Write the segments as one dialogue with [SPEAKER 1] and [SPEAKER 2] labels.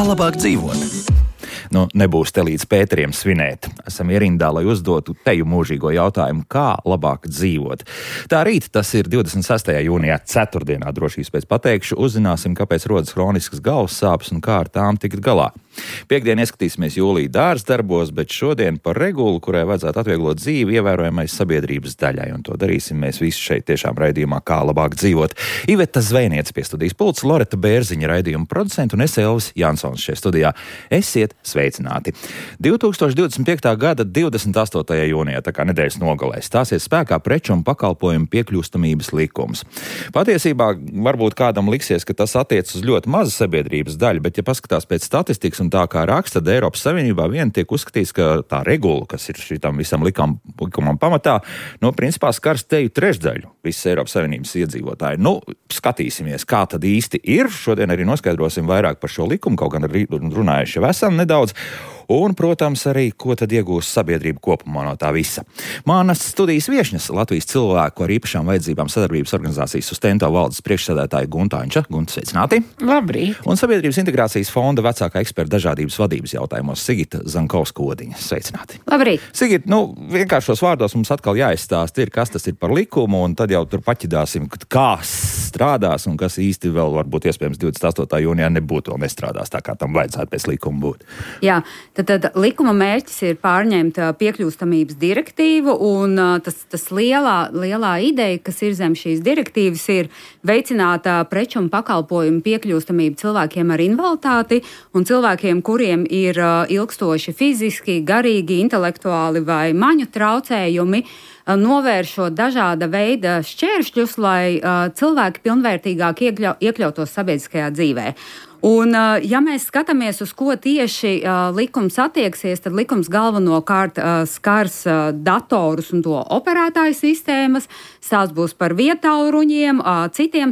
[SPEAKER 1] Labāk dzīvot. Nebūs te līdz Pēteriem svinēt. Esam ierindā, lai uzdotu teju mūžīgo jautājumu, kā labāk dzīvot. Tā rīt, tas ir 26. jūnijā, ceturtdienā, drošības pēc pateikšu, uzzināsim, kāpēc rodas hroniskas galvas sāpes un kā ar tām tikt galā. Piektdien ieskatīsimies jūlija dārza darbos, bet šodien par regulu, kurai vajadzētu atvieglot dzīvi ievērojamai sabiedrības daļai, un to darīsim mēs visi šeit tiešām raidījumā, kā labāk dzīvot. Iveta Zvejniece pie studijas pults, Loreta Bērziņa raidījuma producenta un es Elvis Jansons šeit studijā. Esiet sveicināti! 2025. gada 28. jūnijā, tā kā nedēļas nogalē, stāsies spēkā preču un pakalpojumu piekļūstamības likums. Patiesībā varbūt kādam liksies, ka tas attiec uz ļoti mazu sabiedrības daļu, bet ja paskatās pēc statistikas un tā kā raksta, tad Eiropas Savienībā vien tiek uzskatīts, ka tā regula, kas ir šitam visam likumam pamatā, principā skars teju trešdaļu visas Eiropas Savienības iedzīvotāji. Skatīsimies, kā tad īsti ir. Šodien arī noskaidrosim vairāk par šo likumu, kaut gan runājuši jau esam nedaudz. Un, protams, arī, ko tad iegūs sabiedrība kopumā no tā visa. Manas studijas viešņas Latvijas cilvēku ar īpašām vajadzībām sadarbības organizācijas Sustento valdes priekšsēdētāja Gunta Anča. Gunta, sveicināti!
[SPEAKER 2] Labrīt!
[SPEAKER 1] Un Sabiedrības integrācijas fonda vecākā eksperta dažādības vadības jautājumos Sigita Zankovska-Odiņa. Sveicināti!
[SPEAKER 2] Labrīt!
[SPEAKER 1] Sigita, vienkāršos vārdos mums atkal jāizstāst ir, kas tas ir par likumu, un tad jau tur paķidāsim, kā strādās un kas īsti vēl varbūt iespējams 28. jūnijā nebūtu vēl nestrādās tā, kā tam vajadzētu pēc likuma būt.
[SPEAKER 2] Jā. Tad likuma mērķis ir pārņemt piekļūstamības direktīvu, un tas lielā ideja, kas ir zem šīs direktīvas, ir veicināt preču un pakalpojumu piekļūstamību cilvēkiem ar invaliditāti un cilvēkiem, kuriem ir ilgstoši fiziski, garīgi, intelektuāli vai maņu traucējumi, novēršot dažāda veida šķēršļus, lai cilvēki pilnvērtīgāk iekļautos sabiedriskajā dzīvē. Un, ja mēs skatāmies, uz ko tieši likums attieksies, tad likums galvenokārt skars datorus un to operētāju sistēmas, tās būs par vietāluruņiem, citām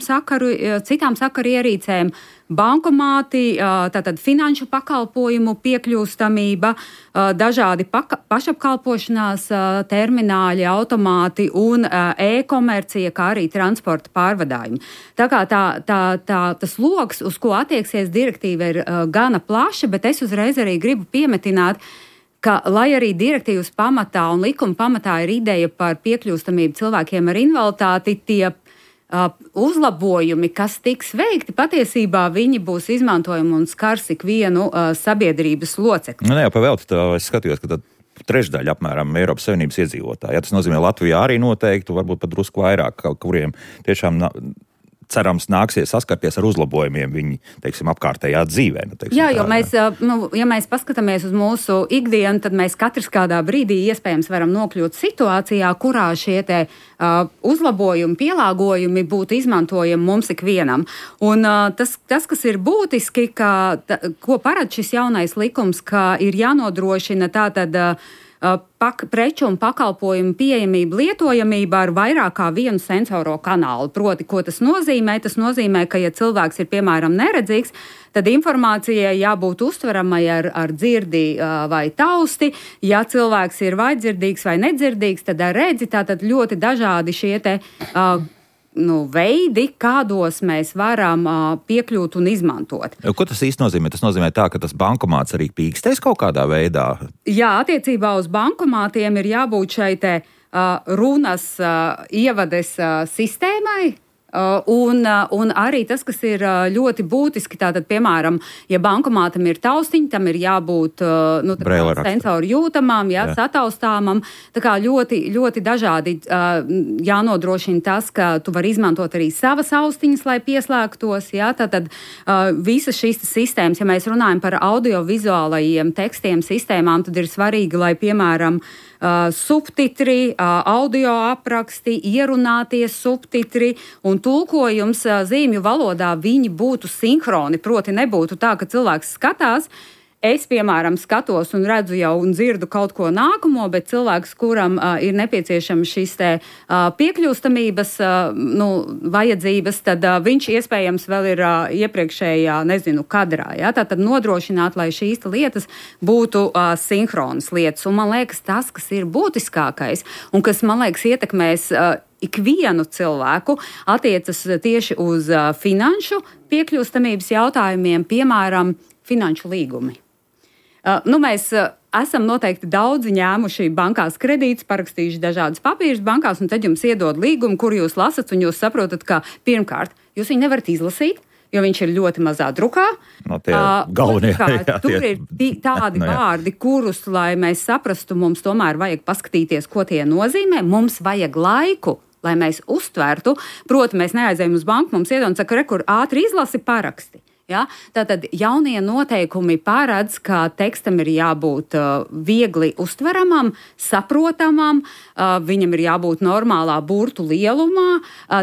[SPEAKER 2] sakaru ierīcēm, bankomāti, tātad finanšu pakalpojumu piekļūstamība, dažādi pašapkalpošanās termināļi, automāti un e-komercija, kā arī transporta pārvadājumi. Tā kā tas loks, uz ko attieksies direktīva, ir gana plaša, bet es uzreiz arī gribu piemetināt, ka, lai arī direktīvas pamatā un likuma pamatā ir ideja par piekļūstamību cilvēkiem ar invaliditāti, tie uzlabojumi, kas tiks veikti, patiesībā viņi būs izmantojumi un skars ikvienu sabiedrības locekli.
[SPEAKER 1] Jā, pavēlti, es skatījos, ka tad trešdaļa apmēram Eiropas Savienības iedzīvotāji. Ja, tas nozīmē Latvijā arī noteikti, varbūt pat drusku vairāk, kuriem tiešām cerams nāksies saskarties ar uzlabojumiem viņi, apkārtējā dzīvē.
[SPEAKER 2] Jā, jo ja mēs paskatāmies uz mūsu ikdienu, tad mēs katrs kādā brīdī iespējams varam nokļūt situācijā, kurā šie uzlabojumi, pielāgojumi būtu izmantojami mums ikvienam. Un tas, kas ir būtiski, ko paredz šis jaunais likums, ka ir jānodrošina tātad preču un pakalpojumu pieejamība, lietojamība ar vairāk kā vienu sensoro kanālu. Proti, ko tas nozīmē? Tas nozīmē, ka, ja cilvēks ir, piemēram, neredzīgs, tad informācijai jābūt uztveramai ar dzirdi vai tausti. Ja cilvēks ir vai dzirdīgs vai nedzirdīgs, tad ar redzi, tātad ļoti dažādi šie veidi, kādos mēs varam piekļūt un izmantot.
[SPEAKER 1] Ko tas īsti nozīmē? Tas nozīmē tā, ka tas bankomāts arī pīkstēs kaut kādā veidā?
[SPEAKER 2] Jā, attiecībā uz bankomātiem ir jābūt šai runas ievades sistēmai. Un arī tas, kas ir ļoti būtiski, tātad, piemēram, ja bankomātam ir taustiņi, tam ir jābūt sensoru jūtamām, sataustāmam. Tā kā ļoti, ļoti dažādi jānodrošina tas, ka tu vari izmantot arī savas austiņas, lai pieslēgtos. Tātad visas šīs sistēmas, ja mēs runājam par audiovizuālajiem tekstiem, sistēmām, tad ir svarīgi, lai, piemēram, subtitri, audio apraksti, ierunātie subtitri un tulkojums zīmju valodā viņi būtu sinhroni, proti nebūtu tā, ka cilvēks skatās Es, piemēram, skatos un redzu jau un dzirdu kaut ko nākamo, bet cilvēks, kuram ir nepieciešams šis te piekļūstamības vajadzības, tad viņš iespējams vēl ir iepriekšējā, kadrā. Ja? Tātad nodrošināt, lai šīs lietas būtu sinhronas lietas. Un man liekas, tas, kas ir būtiskākais un kas, man liekas, ietekmēs ikvienu cilvēku, attiecas tieši uz finanšu piekļūstamības jautājumiem, piemēram, finanšu līgumi. Mēs esam noteikti daudzi ņēmuši bankās kredītus, parakstījuši dažādas papīrus bankās, un tad jums iedod līgumu, kur jūs lasat, un jūs saprotat, ka pirmkārt, jūs viņu nevarat izlasīt, jo viņš ir ļoti mazā drukā.
[SPEAKER 1] No galvenie,
[SPEAKER 2] tur ir tādi vārdi, kurus, lai mēs saprastu, mums tomēr vajag paskatīties, ko tie nozīmē. Mums vajag laiku, lai mēs uztvertu. Proti, mēs neaizējam uz banku, mums iedod un saka, kur ātri izlasi paraksti. Ja? Tātad jaunie noteikumi paredz, ka tekstam ir jābūt viegli uztveramam, saprotamam, viņam ir jābūt normālā burtu lielumā,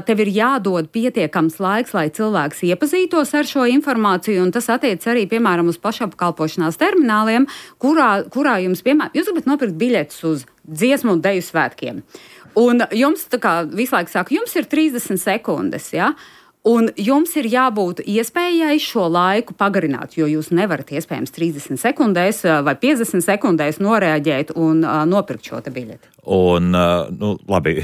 [SPEAKER 2] tev ir jādod pietiekams laiks, lai cilvēks iepazītos ar šo informāciju, un tas attiec arī, piemēram, uz pašapkalpošanās termināliem, kurā jums, piemēram, jūs gribat nopirkt biļetes uz dziesmu un deju svētkiem. Un jums, tā kā visu laiku saka, jums ir 30 sekundes, ja? Un jums ir jābūt iespējai šo laiku pagarināt, jo jūs nevarat iespējams 30 sekundēs vai 50 sekundēs noreaģēt un nopirkt šo te biļeti.
[SPEAKER 1] Un, labi,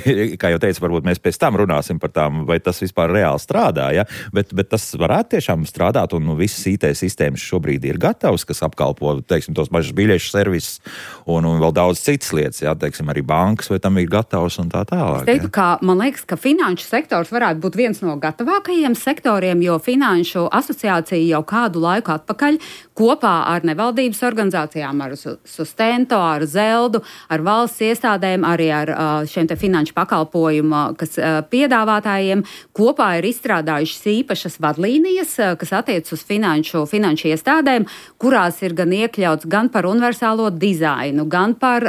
[SPEAKER 1] kā jau teicu, varbūt mēs pēc tam runāsim par tām, vai tas vispār reāli strādā, ja? Bet tas varētu tiešām strādāt, un visas IT sistēmas šobrīd ir gatavas, kas apkalpo, teiksim, tos mažas biļešu servisus un vēl daudz citas lietas, ja? Teiksim, arī bankas, vai tam ir gatavs un tā tālāk.
[SPEAKER 2] Es teiktu, ka man liekas, ka finanšu sektors varētu būt viens no gatavākajiem sektoriem, jo Finanšu asociācija jau kādu laiku atpakaļ kopā ar nevaldības organizācijām, ar Sustento, ar Zeldu, ar valsts iestādēm, arī ar šiem te finanšu pakalpojumu, kas piedāvātājiem kopā ir izstrādājušas īpašas vadlīnijas, kas attiec uz finanšu iestādēm, kurās ir gan iekļauts gan par universālo dizainu, gan par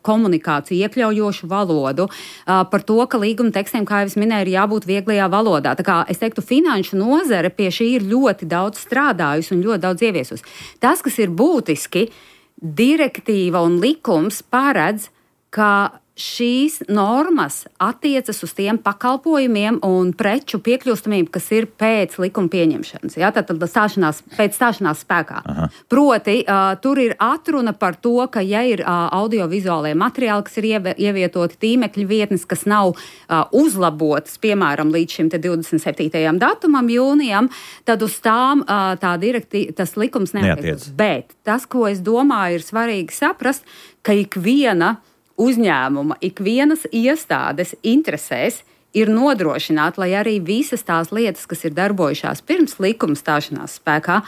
[SPEAKER 2] komunikāciju, iekļaujošu valodu, par to, ka līguma tekstiem, kā jau es minēju, ir jābūt vieglajā valodā. Tā kā es teiktu, finanšu nozare pie šī ir ļoti daudz strādājusi un ļoti daudz ieviesusi. Tas, kas ir būtiski, direktīva un likums paredz, ka šīs normas attiecas uz tiem pakalpojumiem un preču piekļūstamību, kas ir pēc likuma pieņemšanas. Ja? Tātad pēc stāšanās spēkā. Aha. Proti, tur ir atruna par to, ka ja ir audiovizuālie materiāli, kas ir ievietoti tīmekļa vietnes, kas nav uzlabotas, piemēram, līdz šim 27. datumam jūnijam, tad uz tām tas likums neatiecas. Bet tas, ko es domāju, ir svarīgi saprast, ka ikviena uzņēmuma, ikvienas iestādes interesēs ir nodrošināt, lai arī visas tās lietas, kas ir darbojušās pirms likuma stāšanās spēkā,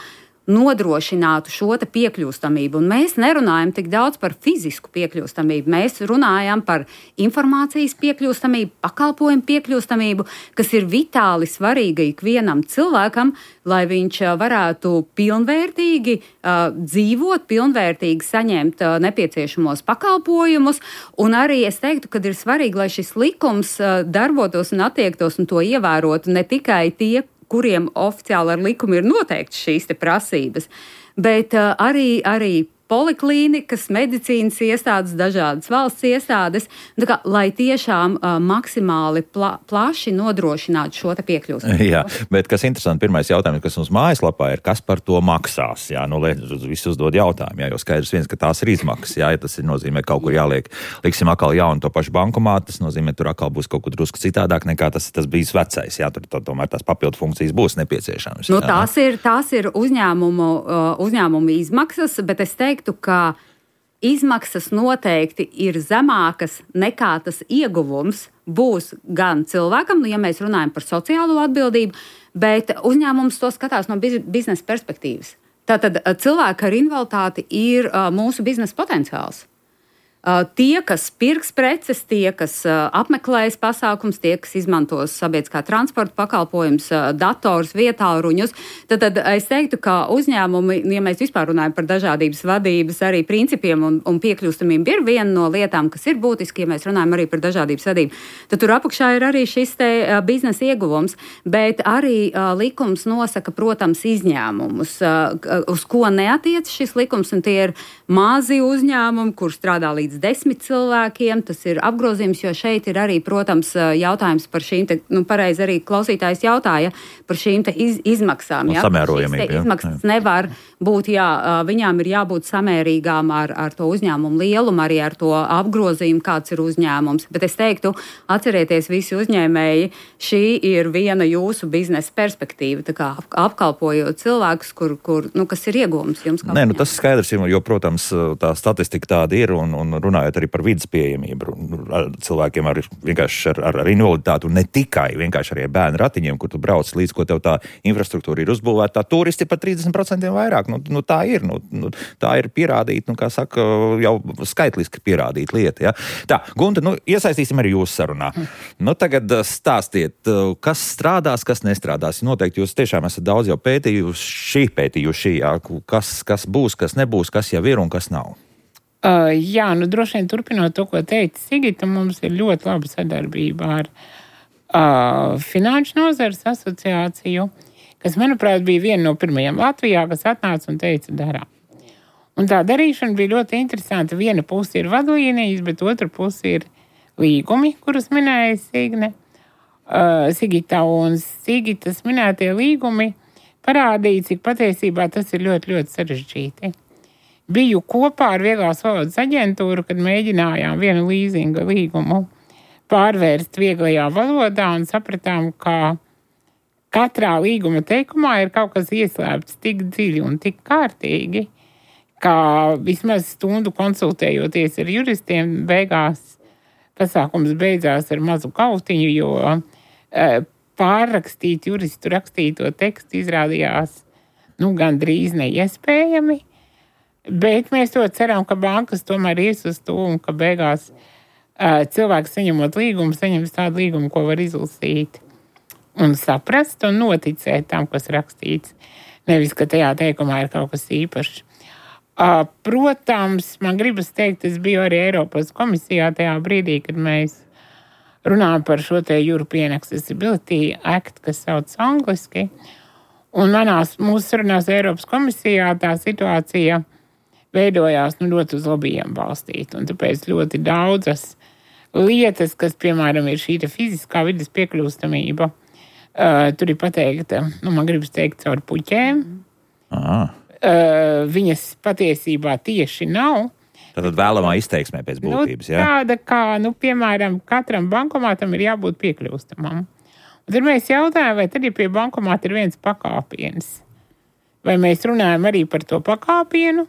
[SPEAKER 2] nodrošinātu šo te piekļūstamību. Un mēs nerunājam tik daudz par fizisku piekļūstamību. Mēs runājam par informācijas piekļūstamību, pakalpojumu piekļūstamību, kas ir vitāli svarīga ikvienam cilvēkam, lai viņš varētu pilnvērtīgi dzīvot, pilnvērtīgi saņemt nepieciešamos pakalpojumus. Un arī es teiktu, ka ir svarīgi, lai šis likums darbotos un attiektos un to ievērotu ne tikai tie, kuriem oficiāli ar likumu ir noteikts šīs te prasības, bet arī poliklīnikas, medicīnas iestādes, dažādas valsts iestādes, lai tiešām maksimāli plaši nodrošinātu šo te piekļūstamību.
[SPEAKER 1] Jā, bet kas interesanti, pirmais jautājums, kas mums mājaslapā ir, kas par to maksās? Jā, visi uzdod jautājumu, jā, jo skaidrs viens, ka tās ir izmaksas, jā, ja tas ir nozīmē kaut kur liksim atkal jaunu to pašu bankomātu, tas nozīmē, tur atkal būs kaut kur drusku citādāk nekā tas bijis vecais, jā, tur tomēr tās papildu funkcijas būs nepieciešamas.
[SPEAKER 2] Tās ir uzņēmumu izmaksas, bet es teiktu, ka izmaksas noteikti ir zemākas nekā tas ieguvums būs gan cilvēkam, ja mēs runājam par sociālo atbildību, bet uzņēmums to skatās no biznesa perspektīvas. Tātad cilvēki ar invaliditāti ir mūsu biznesa potenciāls. Tie, kas pirks preces, tie, kas apmeklēs pasākums, tie, kas izmantos sabiedriskā transporta pakalpojums, dators, vietāluruņus, tad es teiktu, ka uzņēmumi, ja mēs vispār runājam par dažādības vadības arī principiem un piekļūstamību, ir viena no lietām, kas ir būtiski, ja mēs runājam arī par dažādības vadību. Tad tur apakšā ir arī šis te biznesa ieguvums, bet arī likums nosaka, protams, izņēmumus, uz ko neatiec šis likums, un tie ir mazi uzņēmumi, kur strādā līdz 10 cilvēkiem. Tas ir apgrozījums, jo šeit ir arī, protams, jautājums par šīm te, pareizi arī klausītājs jautāja, par šīm te izmaksām.
[SPEAKER 1] Ja? Samērojamība.
[SPEAKER 2] Izmaksas nevar būt, viņām ir jābūt samērīgām ar to uzņēmumu lielumu, arī ar to apgrozījumu, kāds ir uzņēmums. Bet es teiktu, atcerieties visi uzņēmēji, šī ir viena jūsu biznesa perspektīva, tā kā apkalpojot cilvēkus, kas ir iegūms jums.
[SPEAKER 1] Nē, tas skaidrs, jo, protams, tā statistika tāda ir, un runājot arī par vidas pieejamību, cilvēkiem vienkārši ar invaliditāti, un ne tikai, vienkārši arī bērnu ratiņiem, kur tu brauc līdz, ko tev tā infrastruktūra ir uzbūvēta, tā turisti par 30% vairāk. Tā ir. Tā ir pierādīta, kā saka, jau skaitliski pierādīta lieta. Ja? Tā, Gunta, iesaistīsim arī jūsu sarunā. Tagad stāstiet, kas strādās, kas nestrādās. Noteikti jūs tiešām esat daudz jau pētījuši, jā, kas būs, kas nebūs, kas jau ir un kas nav.
[SPEAKER 3] Jā, droši vien turpinot to, ko teica Sigita, mums ir ļoti laba sadarbība ar Finanšu nozares asociāciju, kas, manuprāt, bija viena no pirmajām Latvijā, kas atnāca un teica darām. Un tā darīšana bija ļoti interesanta. Viena puse ir vadlīnijas, bet otra puse ir līgumi, kurus minēja Sigita, un Sigitas minētie līgumi parādīja, cik patiesībā tas ir ļoti, ļoti sarežģīti. Biju kopā ar Vieglās valodas aģentūru, kad mēģinājām vienu līzinga līgumu pārvērst vieglajā valodā un sapratām, ka katrā līguma teikumā ir kaut kas ieslēpts tik dziļi un tik kārtīgi, ka vismaz stundu konsultējoties ar juristiem, beigās pasākums beidzās ar mazu kautiņu, jo pārrakstīt juristu rakstīto tekstu izrādījās gandrīz neiespējami, bet mēs to ceram, ka bankas tomēr ies uz to un ka beigās cilvēks saņemot līgumu, saņems tādu līgumu, ko var izlasīt un saprast un noticēt tam, kas rakstīts. Nevis, ka tajā teikumā ir kaut kas īpašs. Protams, man gribas teikt, es biju arī Eiropas komisijā tajā brīdī, kad mēs runājam par šo te European Accessibility Act, kas sauc angliski. Un mūsu sarunās Eiropas komisijā tā situācija veidojās ļoti uz lobbyiem balstīt. Un tāpēc ļoti daudzas lietas, kas, piemēram, ir šī fiziskā vidas piekļūstamība, tur ir pateikta, man gribas teikt, caur puķēm. Viņas patiesībā tieši nav.
[SPEAKER 1] Tātad vēlamā izteiksmē pēc būtības, jā?
[SPEAKER 3] Tāda kā, piemēram, katram bankomātam ir jābūt piekļūstamam. Un tad mēs jautājam, vai tad, ja pie bankomāta ir viens pakāpiens, vai mēs runājam arī par to pakāpienu,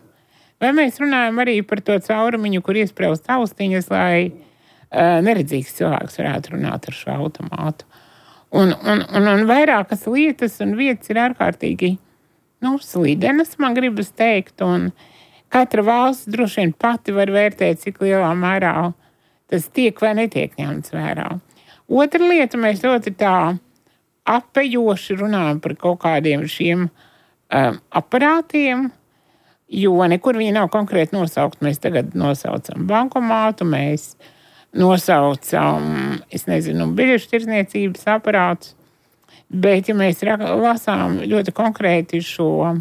[SPEAKER 3] vai mēs runājam arī par to caurumiņu, kur iespraust austiņas, lai neredzīgs cilvēks varētu runāt ar šo automātu. Un vairākas lietas un vietas ir ārkārtīgi slidenas, man gribas teikt, un katra valsts droši vien pati var vērtēt, cik lielā mērā tas tiek vai netiek ņemts vērā. Otra lieta, mēs ļoti tā apejoši runājam par kaut kādiem šiem aparātiem, jo nekur viņi nav konkrēti nosaukt. Mēs tagad nosaucam bankomātu, mēs nosaucam, biļešu tirdzniecības aparātus, bet, ja mēs lasām ļoti konkrēti šo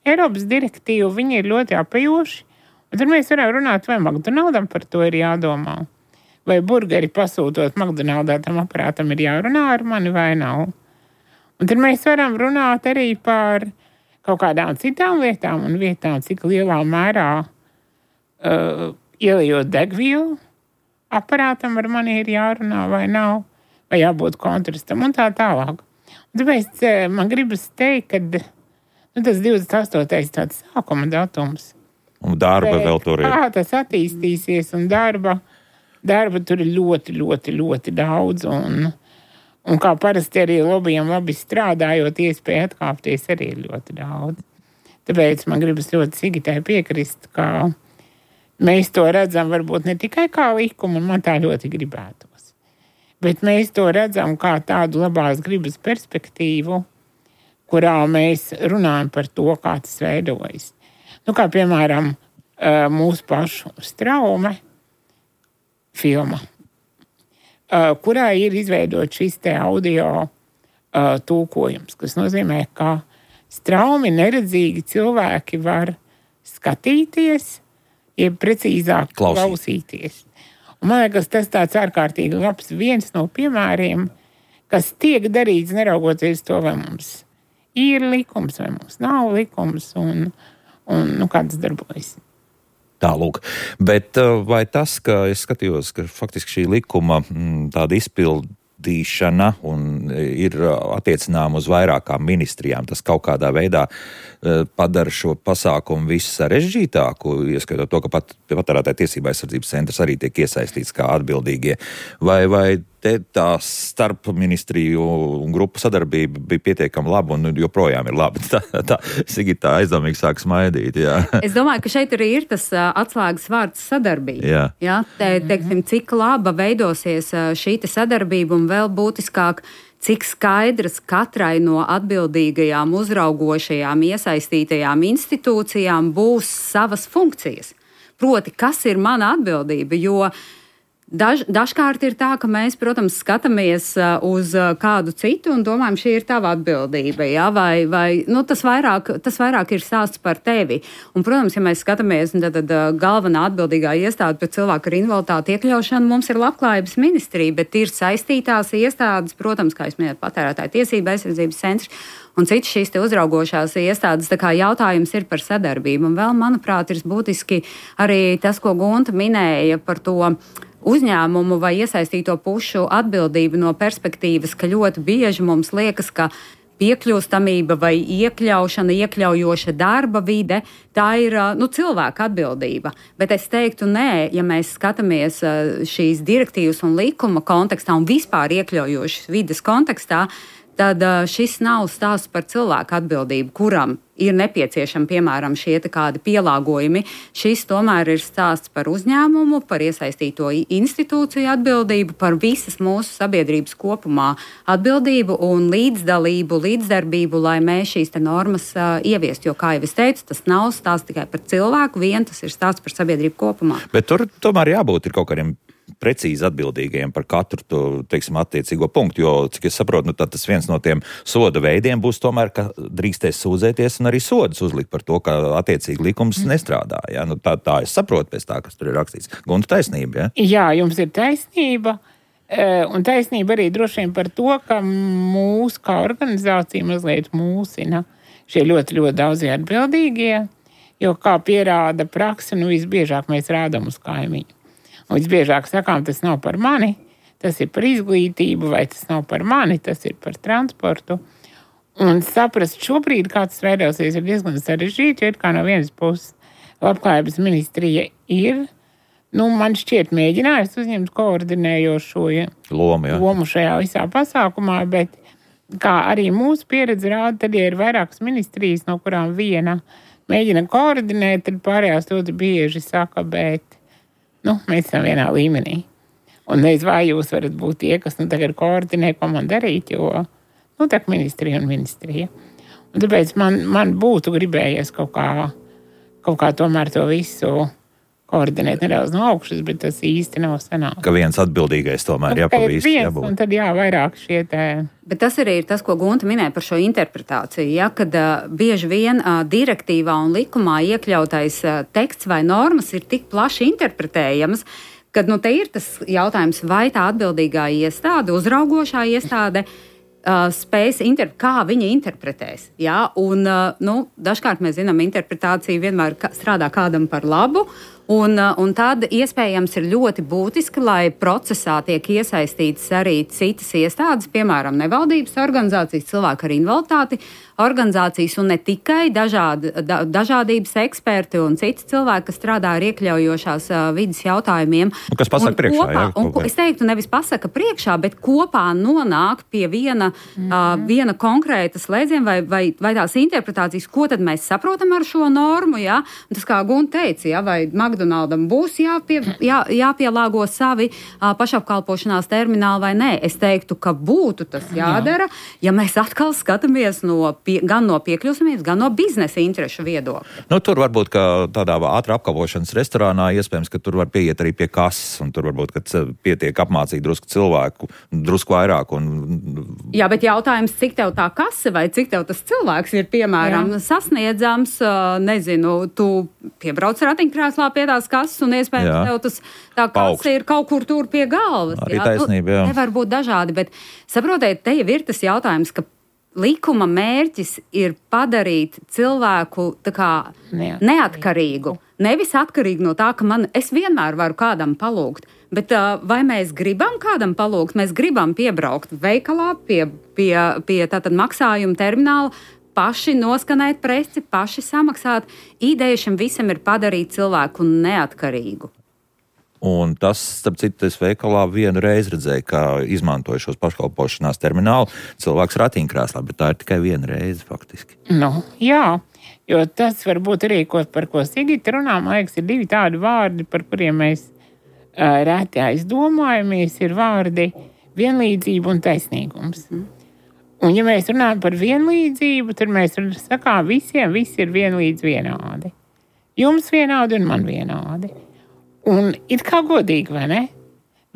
[SPEAKER 3] Eiropas direktīvu, viņi ir ļoti apejoši, un tad mēs varam runāt, vai McDonaldam par to ir jādomā, vai burgeri pasūtot McDonaldā tam aparātam ir jārunā ar mani vai nav. Un tad mēs varam runāt arī par kaut kādām citām lietām un vietām, cik lielā mērā ielejot degvielu, aparātam ar mani ir jārunā vai nav, vai jābūt kontrastam un tā tālāk. Un tāpēc man gribas teikt, ka tas 28. tāds sākuma datums.
[SPEAKER 1] Un darba vēl tur ir.
[SPEAKER 3] Kā tas attīstīsies un darba tur ir ļoti, ļoti, ļoti daudz. Un kā parasti arī lobbyiem labi strādājot, iespēja atkāpties arī ir ļoti daudz. Tāpēc man gribas ļoti Sigitai piekrist, ka mēs to redzam varbūt ne tikai kā likumu, un man tā ļoti gribētos, bet mēs to redzam kā tādu labās gribas perspektīvu, kurā mēs runājam par to, kā tas veidojas. Kā piemēram mūsu pašu Straume filma, kurā ir izveidot šis te audio tulkojums, kas nozīmē, ka straumi neredzīgi cilvēki var skatīties, jeb precīzāk klausīties. Un man liekas, tas tāds ārkārtīgi labs viens no piemēriem, kas tiek darīts neraugoties to, vai mums ir likums, vai mums nav likums, un kā tas darbojas.
[SPEAKER 1] Tālūk. Bet vai tas, ka es skatījos, ka faktiski šī likuma tāda izpildīšana un ir attiecinām uz vairākām ministrijām, tas kaut kādā veidā padara šo pasākumu visu sarežģītāku, ieskaitot to, ka patērētāju tiesību aizsardzības centrs arī tiek iesaistīts kā atbildīgie. Vai te tā starp ministriju un grupu sadarbība bija pietiekami laba un joprojām ir laba? Tā Sigita aizdomīgi sāk smaidīt, jā.
[SPEAKER 2] Es domāju, ka šeit arī ir tas atslēgas vārds sadarbība. Jā, teiksim, cik laba veidosies šī sadarbība un vēl būtiskāk, cik skaidras katrai no atbildīgajām, uzraugošajām, iesaistītajām institūcijām būs savas funkcijas. Proti, kas ir mana atbildība, jo dažkārt ir tā, ka mēs, protams, skatāmies uz kādu citu un domājam, šī ir tava atbildība, ja? vai tas vairāk ir stāsts par tevi. Un, protams, ja mēs skatāmies, tad galvenā atbildīgā iestāde par cilvēku ar invaliditāti iekļaušanu mums ir Labklājības ministrija, bet ir saistītās iestādes, protams, kā es minēju, patērētāju tiesību aizsardzības centrs un citas šīs te uzraugošās iestādes. Tā kā jautājums ir par sadarbību. Un vēl, manuprāt, ir būtiski arī tas, ko Gunta minēja par to uzņēmumu vai iesaistīto pušu atbildību no perspektīvas, ka ļoti bieži mums liekas, ka piekļūstamība vai iekļaušana, iekļaujoša darba vide, tā ir cilvēka atbildība. Bet es teiktu, nē, ja mēs skatāmies šīs direktīvas un likuma kontekstā un vispār iekļaujošas vides kontekstā, tad šis nav stāsts par cilvēku atbildību, kuram ir nepieciešami, piemēram, šie kādi pielāgojumi. Šis tomēr ir stāsts par uzņēmumu, par iesaistīto institūciju atbildību, par visas mūsu sabiedrības kopumā atbildību un līdzdalību, līdzdarbību, lai mēs šīs normas ieviestu. Jo, kā jau es teicu, tas nav stāsts tikai par cilvēku, tas ir stāsts par sabiedrību kopumā.
[SPEAKER 1] Bet tur tomēr jābūt ir kaut kādiem precīzi atbildīgajiem par katru to, teiksim, attiecīgo punktu, jo, cik es saprotu, tad tas viens no tiem soda veidiem būs tomēr, ka drīkstēs sūdzēties un arī sodus uzlikt par to, ka attiecīgi likums nestrādā. Ja? Tā es saprotu pēc tā, kas tur ir rakstīts. Gunta, taisnība, ja?
[SPEAKER 3] Jā, jums ir taisnība, un taisnība arī droši vien par to, ka mūs kā organizācija mazliet mūsina šie ļoti, ļoti daudzie atbildīgie, jo, kā pierāda praksa, visbiežāk mēs rādam uz kaimiņu. Un visbiežāk sakām, tas nav par mani, tas ir par izglītību, vai tas nav par mani, tas ir par transportu. Un saprast šobrīd, kā tas veidosies, ir diezgan sarežģīti, jo it kā no vienas puses Labklājības ministrija ir, man šķiet, mēģinājusi uzņemt koordinējošo lomu šajā visā pasākumā, bet kā arī mūsu pieredze rāda, tad, ja ir vairākas ministrijas, no kurām viena mēģina koordinēt, tad pārējās ļoti bieži saka, bet mēs esam vienā līmenī. Un nezinu, vai jūs varat būt tie, kas tagad koordinē, ko man darīt, jo tā ir ministrija un ministrija. Un tāpēc man būtu gribējies kaut kā tomēr to visu koordinēt nedaudz no augšas, bet tas īsti nav sanāks.
[SPEAKER 1] Ka viens atbildīgais tomēr jābūt.
[SPEAKER 3] Un tad vairāk šie te.
[SPEAKER 2] Bet tas arī ir tas, ko Gunta minēja par šo interpretāciju, kad bieži vien direktīvā un likumā iekļautais teksts vai normas ir tik plaši interpretējams, kad te ir tas jautājums, vai tā atbildīgā iestāde, uzraugošā iestāde spējas kā viņa interpretēs. Ja? Un, dažkārt mēs zinām, interpretācija vienmēr strādā kādam par labu, un tad iespējams ir ļoti būtiski, lai procesā tiek iesaistītas arī citas iestādes, piemēram, nevaldības organizācijas, cilvēku ar invaliditāti organizācijas un ne tikai dažādības eksperti un citi cilvēki, kas strādā ar iekļaujošās vidas jautājumiem.
[SPEAKER 1] Kas pasaka priekšā?
[SPEAKER 2] Kopā, es teiktu, nevis pasaka priekšā, bet kopā nonāk pie viena konkrēta slēdziena vai tās interpretācijas, ko tad mēs saprotam ar šo normu, ja? Un tas, kā Gunta teica, ja? Vai McDonaldam būs jāpielāgo savi pašapkalpošanās termināli vai nē. Es teiktu, ka būtu tas jādara, ja mēs atkal skatāmies gan no piekļūstamības, gan no biznesa interešu viedokļa.
[SPEAKER 1] Nu, tur varbūt, ka tādā ātrā apkalpošanas restorānā iespējams, ka tur var pieiet arī pie kases, un tur varbūt, ka pietiek apmācīt drusku cilvēku, drusku vairāk.
[SPEAKER 2] Jā, bet jautājums, cik tev tā kase vai cik tev tas cilvēks ir, piemēram, sasniedzams, nezinu, tu piebrauc ratiņkrēslā pie tās kases, un iespējams tev tā kase ir kaut kur tur pie galvas.
[SPEAKER 1] Arī taisnība, jā.
[SPEAKER 2] Nevar būt dažādi, bet saprotiet, te jau ir tas jautājums, ka likuma mērķis ir padarīt cilvēku tā kā neatkarīgu. Nevis atkarīgi no tā, ka es vienmēr varu kādam palūgt, bet vai mēs gribam kādam palūgt? Mēs gribam piebraukt veikalā pie tātad maksājuma termināla, paši noskanēt preci, paši samaksāt. Ideja šim visam ir padarīt cilvēku neatkarīgu.
[SPEAKER 1] Un tas, starp citu, es veikalā vienu reizi redzēju, kā izmantoju šos paškalpošanās terminālu cilvēks ratiņkrēslā, bet tā ir tikai viena reize faktiski.
[SPEAKER 3] Jā, jo tas varbūt arī, par ko Sigita runā, man liekas, ir divi tādi vārdi, par kuriem mēs reti aizdomājamies, ir vārdi vienlīdzība un taisnīgums. Un ja mēs runājam par vienlīdzību, tad mēs sakām visiem, visi ir vienādi. Jums vienādi un man vienādi. Un it kā godīgi, vai ne?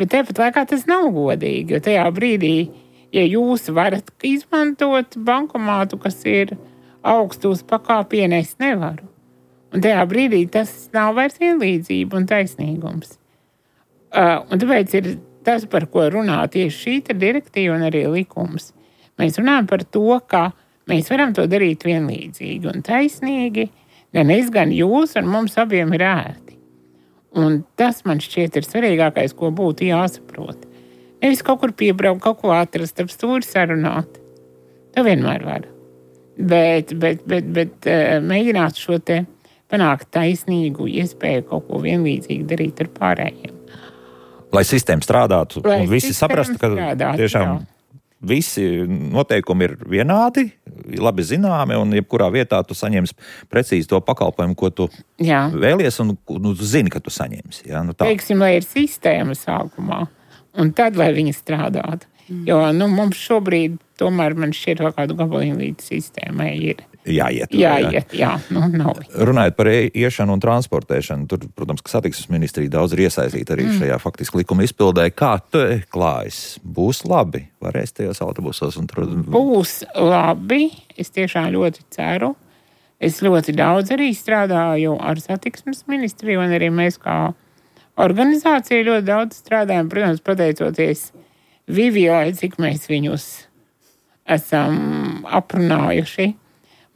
[SPEAKER 3] Bet tāpat laikā tas nav godīgi, jo tajā brīdī, ja jūs varat izmantot bankomātu, kas ir augstu uz pakāpienu, es nevaru. Un tajā brīdī tas nav vairs vienlīdzība un taisnīgums. Un tāpēc ir tas, par ko runā tieši šī direktīva un arī likums. Mēs runājam par to, ka mēs varam to darīt vienlīdzīgi un taisnīgi, gan es, gan jūs, un mums abiem ir ērti. Un tas man šķiet ir svarīgākais, ko būtu jāsaprot. Nevis kaut kur piebraukt, kaut ko atrast, ap stūri sarunāt. To vienmēr var. Bet mēģināt šo te panākt taisnīgu iespēju kaut ko vienlīdzīgi darīt ar pārējiem.
[SPEAKER 1] Lai sistēma strādātu un visi saprastu, ka tiešām visi noteikumi ir vienādi, labi zināmi, un jebkurā vietā tu saņemsi precīzi to pakalpojumu, ko tu vēlies, un tu zini, ka tu saņemsi. Jā,
[SPEAKER 3] Teiksim, lai ir sistēma sākumā, un tad, lai viņa strādātu. Jo mums šobrīd tomēr man šķiet vēl kādu gabaliņu līdz sistēmai ir.
[SPEAKER 1] Jāiet.
[SPEAKER 3] Nav.
[SPEAKER 1] Runājot par iešanu un transportēšanu, tur, protams, ka satiksmes ministrija daudz ir iesaistīta arī šajā faktiski likuma izpildē. Kā te klājas? Būs labi? Varēs tajos autobusos?
[SPEAKER 3] Būs labi. Es tiešām ļoti ceru. Es ļoti daudz arī strādāju ar satiksmes ministriju, un arī mēs kā organizācija ļoti daudz strādājam, protams, pateicoties Vivijai, cik mēs viņus esam aprunājuši.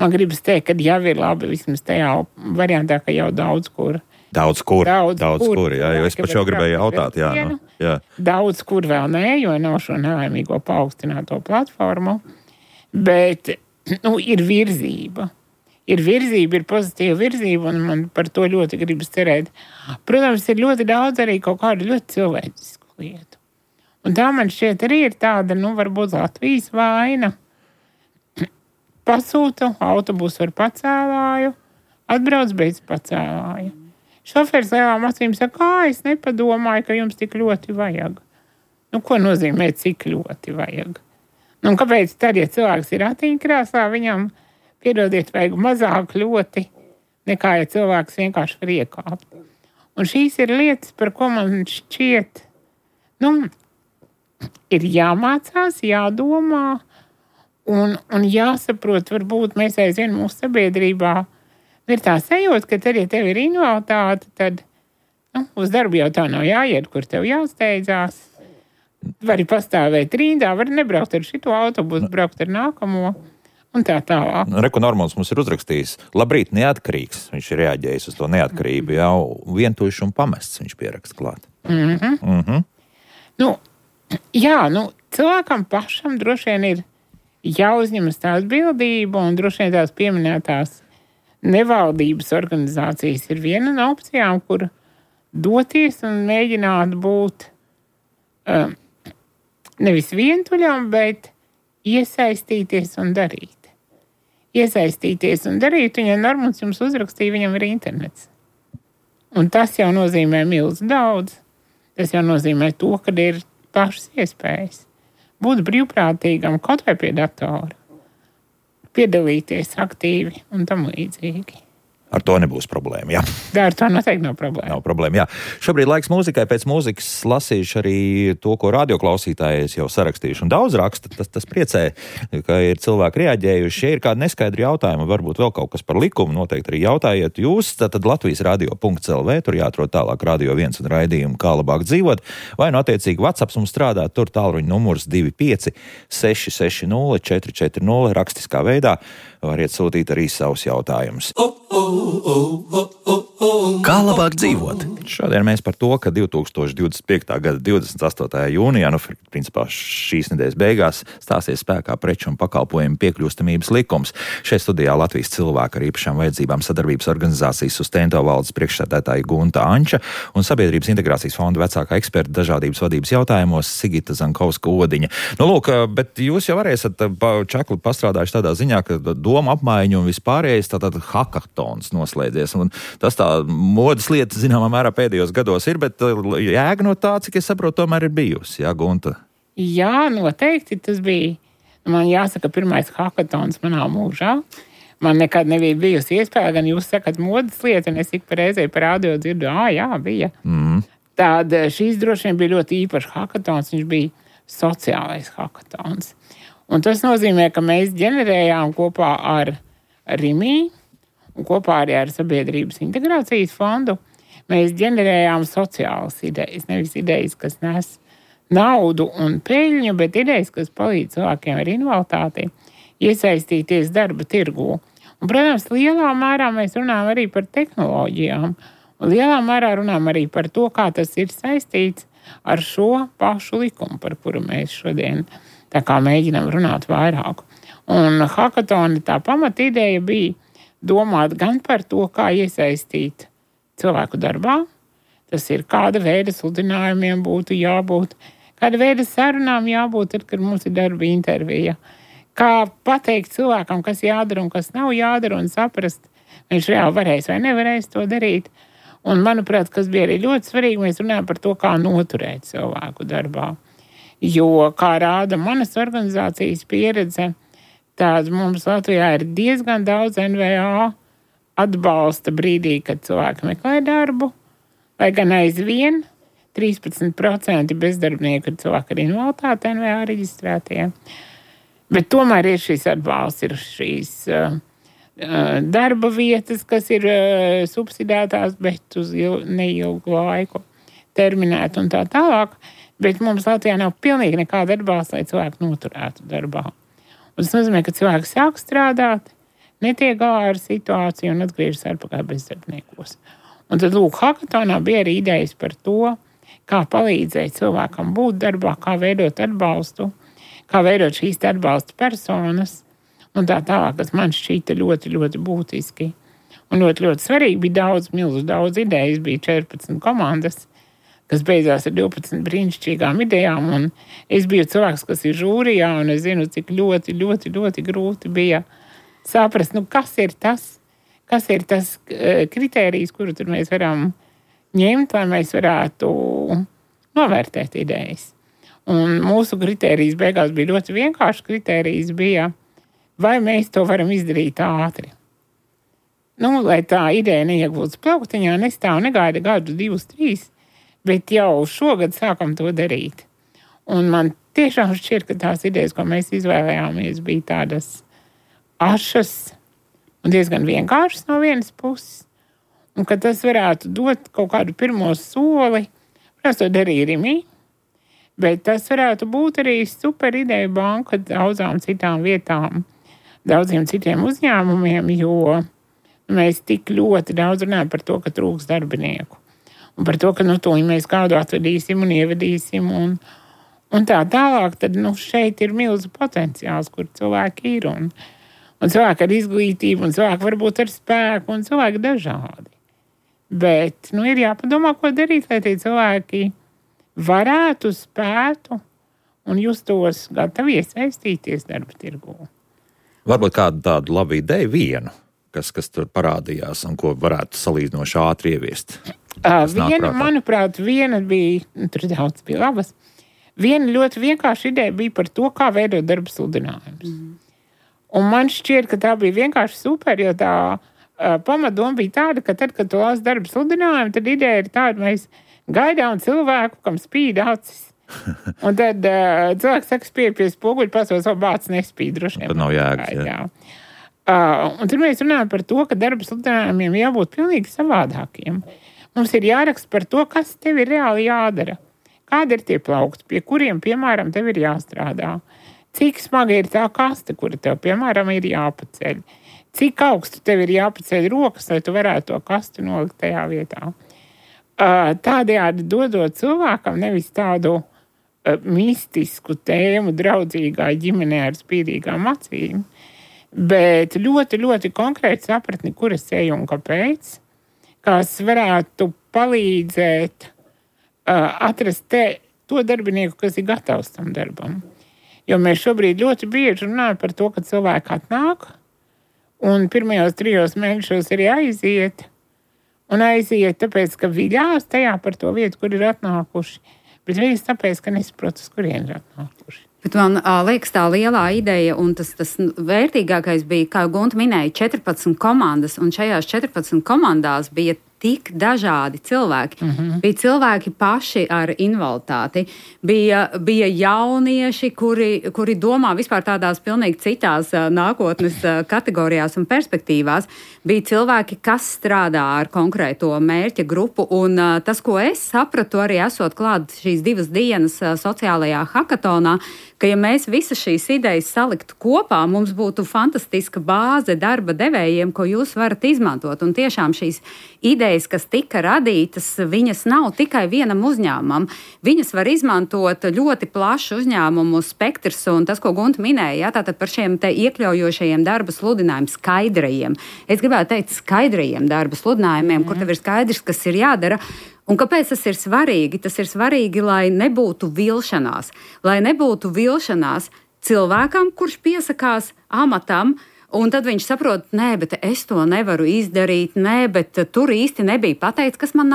[SPEAKER 3] Man gribas teikt, ka jau ir labi vismaz tajā variantā, ka jau daudz kur.
[SPEAKER 1] Daudz kur, jā, jo es pat jau gribēju jautāt, jā.
[SPEAKER 3] Daudz kur vēl nē, jo nav šo nelaimīgo paaugstināto platformu, bet, ir virzība. Ir pozitīva virzība, un man par to ļoti gribas cerēt. Protams, ir ļoti daudz arī kaut kādu ļoti cilvēcisku lietu. Un tā man šķiet arī ir tāda, varbūt Latvijas vaina. Pasūtu autobusu ar pacēlāju, atbrauc bez pacēlāja. Šoferis lielām acīm saka, es nepadomāju, ka jums tik ļoti vajag. Ko nozīmē cik ļoti vajag? Kāpēc tad, ja cilvēks ir ratiņkrēslā, viņam, piedodiet, vajag mazāk ļoti, nekā ja cilvēks vienkārši var iekāpt. Un šīs ir lietas, par ko man šķiet, ir jāmācās, jādomā un jāsaprot, varbūt mēs aizvien mūsu sabiedrībā ir tā sajūta, ka tad, ja tev ir invaliditāte, tad uz darbu jau tā nav jāiet, kur tev jāsteidzās. Vari pastāvēt rindā, vari nebraukt ar šito autobusu, braukt ar nākamo un tā tālāk.
[SPEAKER 1] Reku Normons mums ir uzrakstījis, labrīt, neatkarīgs. Viņš ir reaģējis uz to neatkarību, jau vientuļš un pamests viņš pieraksta klāt.
[SPEAKER 3] Cilvēkam pašam droši vien ir jāuzņemas tā atbildība, un droši vien tās pieminētās nevaldības organizācijas ir viena no opcijām, kur doties un mēģināt būt nevis vientuļam, bet iesaistīties un darīt. Un ja Normons jums uzrakstīja, viņam ir internets. Un tas jau nozīmē milzu daudz. Tas jau nozīmē to, ka ir plašas iespējas būt brīvprātīgam kaut vai pie datora, piedalīties aktīvi un tam līdzīgi.
[SPEAKER 1] Ar to nebūs problēma, jā.
[SPEAKER 3] Ar to noteikti nav problēma.
[SPEAKER 1] Nav problēma, jā. Šobrīd laiks mūzikai. Pēc mūzikas lasīšu arī to, ko radioklausītāji jau sarakstījuši. Un daudz raksta, tas priecē, ka ir cilvēki reaģējuši. Ja ir kādi neskaidri jautājumi, varbūt vēl kaut kas par likumu, noteikti arī jautājiet jūs. Tad Latvijas radio.lv, tur jāatrod tālāk Radio 1 un raidījumu Kā labāk dzīvot. Vai nu attiecīgi WhatsApp mums strādā, tur tālruņa numurs 25 660 440 rakstiskā veidā. Variet sūtīt arī savus jautājumus. Kā labāk dzīvot? Šodien mēs par to, ka 2025. gada 28. jūnijā, principā šīs nedēļas beigās, stāsies spēkā preču un pakalpojumu piekļūstamības likums. Šeit studijā Latvijas cilvēku ar īpašām vajadzībām sadarbības organizācijas Sustento valdes priekšsēdētāja Gunta Anča un Sabiedrības integrācijas fonda vecākā eksperta dažādības vadības jautājumos Sigita Zankovska-Odiņa. Nu, lūk, bet jūs jau arī esat čakli pastrādājuši tādā ziņā, ka doma apmaiņa un vispārējais tātad hackathons noslēdzies. Un tas tā modas lieta, zināmā mērā, pēdējos gados ir, bet jēga no tā, cik es saprotu, tomēr ir bijusi, jā, Gunta?
[SPEAKER 3] Jā, noteikti tas bija. Man jāsaka, pirmais hackathons manā mūžā. Man nekad nebija bijusi iespēja, gan jūs sakat modas lieta, un es ik pa reizei par audio dzirdu, jā, bija. Tad šīs droši vien bija ļoti īpašs hackathons, viņš bija sociālais hackathons. Un tas nozīmē, ka mēs ģenerējām kopā ar RIMI, un kopā arī ar Sabiedrības integrācijas fondu, mēs ģenerējām sociālas idejas. Nevis idejas, kas nes naudu un peļņu, bet idejas, kas palīdz cilvēkiem ar invaliditāti iesaistīties darba tirgū. Un, protams, lielā mērā mēs runājam arī par tehnoloģijām. Un lielā mērā runājam arī par to, kā tas ir saistīts ar šo pašu likumu, par kuru mēs šodien tā kā mēģinām runāt vairāk. Un hackathona tā pamata ideja bija domāt gan par to, kā iesaistīt cilvēku darbā. Tas ir, kāda veida sludinājumiem būtu jābūt, kāda veida sarunām jābūt, tad, kad mums ir darba intervija. Kā pateikt cilvēkam, kas jādara un kas nav jādara, un saprast, viņš reāli varēs vai nevarēs to darīt. Un, manuprāt, kas bija arī ļoti svarīgi, mēs runājam par to, kā noturēt cilvēku darbā. Jo, kā rāda manas organizācijas pieredze, tad mums Latvijā ir diezgan daudz NVO atbalsta brīdī, kad cilvēki meklē darbu, lai gan aizvien 13% bezdarbnieku ir cilvēki ar invaliditāti NVO reģistrētie. Bet tomēr ir šis atbalsts, ir šīs darba vietas, kas ir subsidētās, bet uz neilgu laiku terminēt un tā tālāk. Bet mums Latvijā nav pilnīgi nekāda atbalsta, lai cilvēki noturētu darbā. Un tas nozīmē, ka cilvēks sāk strādāt, netiek galā ar situāciju un atgriežas atpakaļ bezdarbniekos. Un tad, lūk, hackathonā bija arī idejas par to, kā palīdzēt cilvēkam būt darbā, kā veidot atbalstu, kā veidot šīs atbalsta personas un tā tālāk, kas man šķīta ļoti, ļoti būtiski. Un ļoti, ļoti svarīgi bija daudz idejas, bija 14 komandas, kas beidzās ar 12 brīnišķīgām idejām, un es biju cilvēks, kas ir žūrijā, un es zinu, cik ļoti, ļoti, ļoti grūti bija saprast, kas ir tas kritērijs, kuru tur mēs varam ņemt, lai mēs varētu novērtēt idejas. Un mūsu kritērijs beigās bija ļoti vienkāršs kritērijs, bija, vai mēs to varam izdarīt ātri. Lai tā ideja neiegūst plauktiņā, nestāv, negaida gadu, 2, 3, bet jau šogad sākam to darīt. Un man tiešām šķiet, ka tās idejas, ko mēs izvēlējāmies, bija tādas ašas un diezgan vienkāršas no vienas puses. Un ka tas varētu dot kaut kādu pirmo soli, protams, to darīja RIMI, bet tas varētu būt arī super ideja banka daudzām citām vietām, daudziem citiem uzņēmumiem, jo mēs tik ļoti daudz runājam par to, ka trūks darbinieku. Un par to, ka to mēs kādu atvedīsim un ievedīsim un tā tālāk, tad šeit ir milzu potenciāls, kur cilvēki ir. Un cilvēki ar izglītību, un cilvēki varbūt ar spēku, un cilvēki dažādi. Bet ir jāpadomā, ko darīt, lai tie cilvēki varētu, spētu un justos gatavi iesaistīties darba tirgū.
[SPEAKER 1] Varbūt kādu tādu labu ideju vienu, kas tur parādījās un ko varētu salīdzinoši ātri ieviest?
[SPEAKER 3] Manuprāt, viena bija, tur daudz bija labas, viena ļoti vienkārša ideja bija par to, kā veidot darba sludinājumus. Un man šķiet, ka tā bija vienkārši super, jo tā pamatdoma bija tāda, ka tad, kad tu lasi darba sludinājumu, tad ideja ir tāda, mēs gaidām cilvēku, kam spīd acis. Un tad cilvēks saka, spīd pie spoguļa, pasaules savu bācis nespīd droši vien.
[SPEAKER 1] Tad nav jēgas, jā.
[SPEAKER 3] Un tad mēs runājam par to, ka darba sludinājumiem jābūt pilnīgi savādākiem. Mums ir jāraksta par to, kas tev ir reāli jādara. Kādi ir tie plaukti, pie kuriem, piemēram, tev ir jāstrādā. Cik smaga ir tā kaste, kura tev, piemēram, ir jāpaceļ. Cik augstu tev ir jāpaceļ rokas, lai tu varētu to kastu nolikt tajā vietā. Tādējādi dodot cilvēkam nevis tādu mistisku tēmu draudzīgā ģimenē ar spīdīgām acīm, bet ļoti, ļoti konkrēti sapratni, kur es eju un kāpēc, kas varētu palīdzēt atrast to darbinieku, kas ir gatavs tam darbam. Jo mēs šobrīd ļoti bieži runājam par to, ka cilvēki atnāk un pirmajos 3 mēnešos arī aiziet, un aiziet tāpēc, ka viļās tajā par to vietu, kur ir atnākuši. Bet viņas tāpēc, ka nesaprot, uz kurien ir atnākuši.
[SPEAKER 2] Bet man liekas tā lielā ideja, un tas vērtīgākais bija, kā Gunta minēja, 14 komandas, un šajās 14 komandās bija tik dažādi cilvēki. Bija cilvēki paši ar invaliditāti, bija jaunieši, kuri domā vispār tādās pilnīgi citās nākotnes kategorijās un perspektīvās. Bija cilvēki, kas strādā ar konkrēto mērķa grupu, un tas, ko es sapratu arī esot klāt šīs 2 dienas sociālajā hakatonā, ka ja mēs visas šīs idejas saliktu kopā, mums būtu fantastiska bāze darba devējiem, ko jūs varat izmantot. Un tiešām šīs idejas, kas tika radītas, viņas nav tikai vienam uzņēmumam. Viņas var izmantot ļoti plašu uzņēmumu spektrs, un tas, ko Gunta minēja, tātad par šiem te iekļaujošajiem darba sludinājumiem, skaidrajiem. Es gribētu teikt skaidrajiem darba sludinājumiem, kur tev ir skaidrs, kas ir jādara. Un kāpēc tas ir svarīgi? Tas ir svarīgi, lai nebūtu vilšanās. Lai nebūtu vilšanās cilvēkam, kurš piesakās amatam, un tad viņš saprot, nē, bet es to nevaru izdarīt, nē, bet tur īsti nebija pateikts, kas man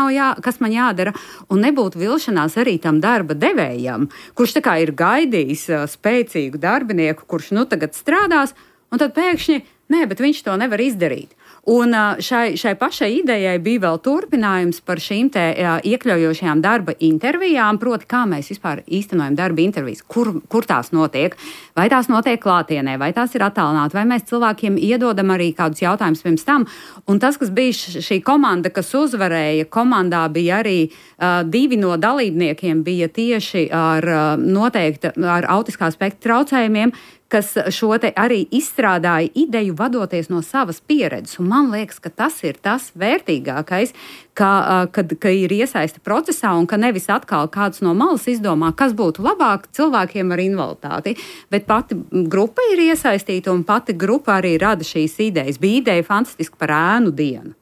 [SPEAKER 2] jādara, un nebūtu vilšanās arī tam darba devējam, kurš tā kā ir gaidījis spēcīgu darbinieku, kurš nu tagad strādās, un tad pēkšņi, nē, bet viņš to nevar izdarīt. Un šai pašai idejai bija vēl turpinājums par šīm te iekļaujošajām darba intervijām, proti, kā mēs vispār īstenojam darba intervijas, kur tās notiek, vai tās notiek klātienē, vai tās ir attālināti, vai mēs cilvēkiem iedodam arī kādus jautājumus pirms tam. Un tas, kas bija šī komanda, kas uzvarēja, komandā bija arī 2 no dalībniekiem bija tieši ar autiskā spektra traucējumiem, kas šo te arī izstrādāja ideju vadoties no savas pieredzes. Un man liekas, ka tas ir tas vērtīgākais, ka ir iesaista procesā un ka nevis atkal kāds no malas izdomā, kas būtu labāk cilvēkiem ar invaliditāti, bet pati grupa ir iesaistīta un pati grupa arī rada šīs idejas. Bija ideja fantastiski par ēnu dienu.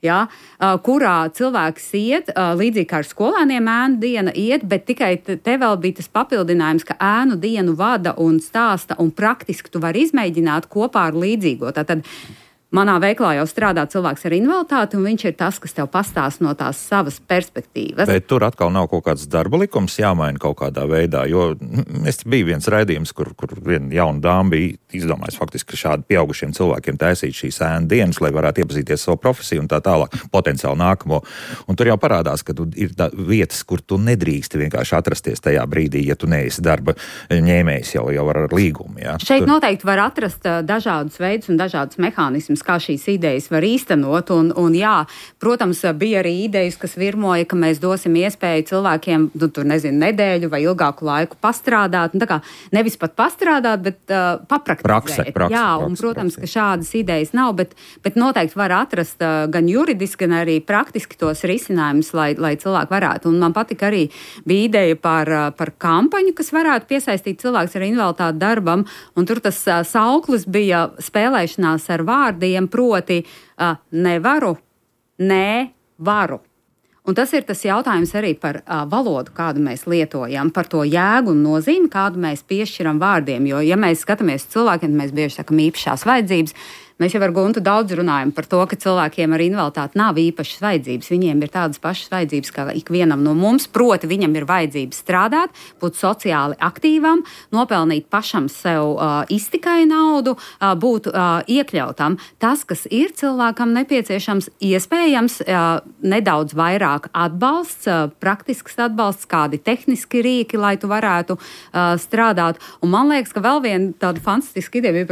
[SPEAKER 2] Ja, kurā cilvēks iet, līdzīgi kā ar skolēniem ēnu diena iet, bet tikai te vēl bija tas papildinājums, ka ēnu dienu vada un stāsta un praktiski tu vari izmēģināt kopā ar līdzīgo. Tātad manā veiklā jau strādā cilvēks ar invaliditāti, un viņš ir tas, kas tev pastāst no tās savas perspektīvas.
[SPEAKER 1] Bet tur atkal nav kaut kāds darba likums jāmaina kaut kādā veidā, jo es biju viens raidījums, kur viena jauna dāma bija izdomājis faktiski, ka šādi pieaugušiem cilvēkiem taisīt šīs ēnu dienas, lai varētu iepazīties savu profesiju un tā tālāk, potenciāli nākamo. Un tur jau parādās, ka ir vietas, kur tu nedrīksti vienkārši atrasties tajā brīdī, ja tu neesi darba ņēmējs jau ar līgumu. Ja?
[SPEAKER 2] Šeit noteikti var atrast dažādus veidus un dažādus mehānismus, kā šīs idejas var īstenot, un jā, protams, bija arī idejas, kas virmoja, ka mēs dosim iespēju cilvēkiem, nedēļu vai ilgāku laiku pastrādāt, tā kā nevis pat pastrādāt, bet papraktizēt.
[SPEAKER 1] Prakse,
[SPEAKER 2] jā, un, protams, ka šādas idejas nav, bet noteikti var atrast gan juridiski, gan arī praktiski tos risinājumus, lai cilvēki varētu. Un man patika arī bija ideja par kampaņu, kas varētu piesaistīt cilvēks ar invaliditāti darbam, un tur tas sauklis bija spēlēšanās ar vārdiem, proti nevaru, nē, varu. Un tas ir tas jautājums arī par valodu, kādu mēs lietojam, par to jēgu un nozīmi, kādu mēs piešķiram vārdiem. Jo, ja mēs skatāmies cilvēkiem, mēs bieži sakam īpašās vajadzības, Mēs jau ar Guntu daudz runājam par to, ka cilvēkiem ar invaliditāti nav īpašas vajadzības. Viņiem ir tādas pašas vajadzības kā ikvienam no mums, proti viņam ir vajadzības strādāt, būt sociāli aktīvam, nopelnīt pašam sev iztikai naudu, būt iekļautam. Tas, kas ir cilvēkam nepieciešams, iespējams nedaudz vairāk atbalsts, praktisks atbalsts, kādi tehniski rīki, lai tu varētu strādāt. Un man liekas, ka vēl viena tāda fantastiska ideja bija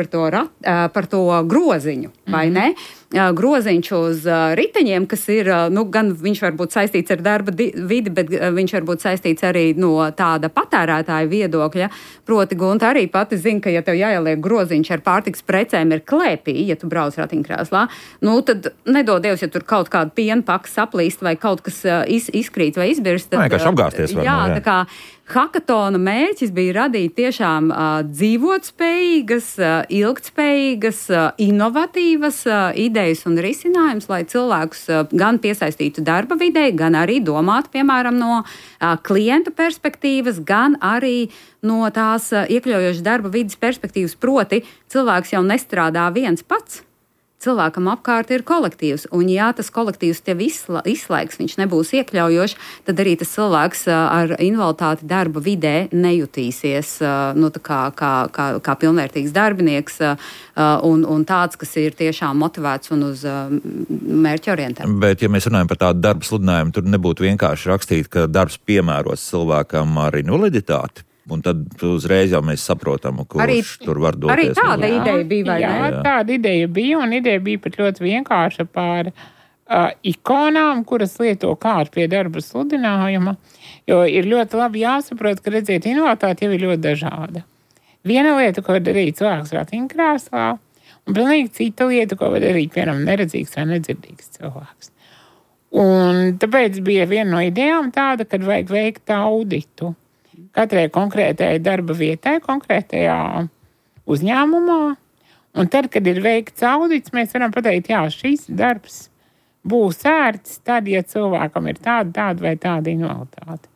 [SPEAKER 2] par to groziņu, vai ne? Groziņš uz riteņiem, kas ir, gan viņš var būt saistīts ar darba vidi, bet viņš var būt saistīts arī no tāda patērētāja viedokļa. Proti, Gunta arī pati zina, ka, ja tev jāieliek groziņš ar pārtikas precēm ir klēpī, ja tu brauc ratiņkrēslā, tad nedod Dievs, ja tur kaut kāda piena paka saplīst vai kaut kas izkrīt vai izbirst.
[SPEAKER 1] Vienkārši apgāzties.
[SPEAKER 2] Jā, tā kā Hakatona mērķis bija radīt tiešām dzīvotspējīgas, ilgtspējīgas, inovatīvas idejas un risinājums, lai cilvēkus gan piesaistītu darba vidē, gan arī domātu, piemēram, no klienta perspektīvas, gan arī no tās iekļaujošas darba vidas perspektīvas. Proti, cilvēks jau nestrādā viens pats. Cilvēkam apkārt ir kolektīvs, un ja tas kolektīvs tev izslēgs, viņš nebūs iekļaujošs, tad arī tas cilvēks ar invaliditāti darba vidē nejutīsies kā pilnvērtīgs darbinieks un tāds, kas ir tiešām motivēts un uz mērķa orientēts.
[SPEAKER 1] Bet, ja mēs runājam par tādu darba sludinājumu, tur nebūtu vienkārši rakstīt, ka darbs piemērots cilvēkam ar invaliditāti. Un tad uzreiz jau mēs saprotam, kurš tur var doties.
[SPEAKER 2] Arī tāda ideja bija, vai ne?
[SPEAKER 3] Jā, tāda ideja bija, un ideja bija pat ļoti vienkārša par ikonām, kuras lieto kārt pie darba sludinājuma, jo ir ļoti labi jāsaprot, ka, redziet, invaliditāte jau ir ļoti dažāda. Viena lieta, ko var darīt cilvēks ratiņkrēslā, un pilnīgi cita lieta, ko var darīt, piemēram, neredzīgs vai nedzirdīgs cilvēks. Un tāpēc bija viena no idejām tāda, kad vajag veikt auditu katrai konkrētajai darba vietai, konkrētajā uzņēmumā. Un tad, kad ir veikts audits, mēs varam pateikt, jā, šis darbs būs ērts tad, ja cilvēkam ir tāda vai tāda invaliditāte.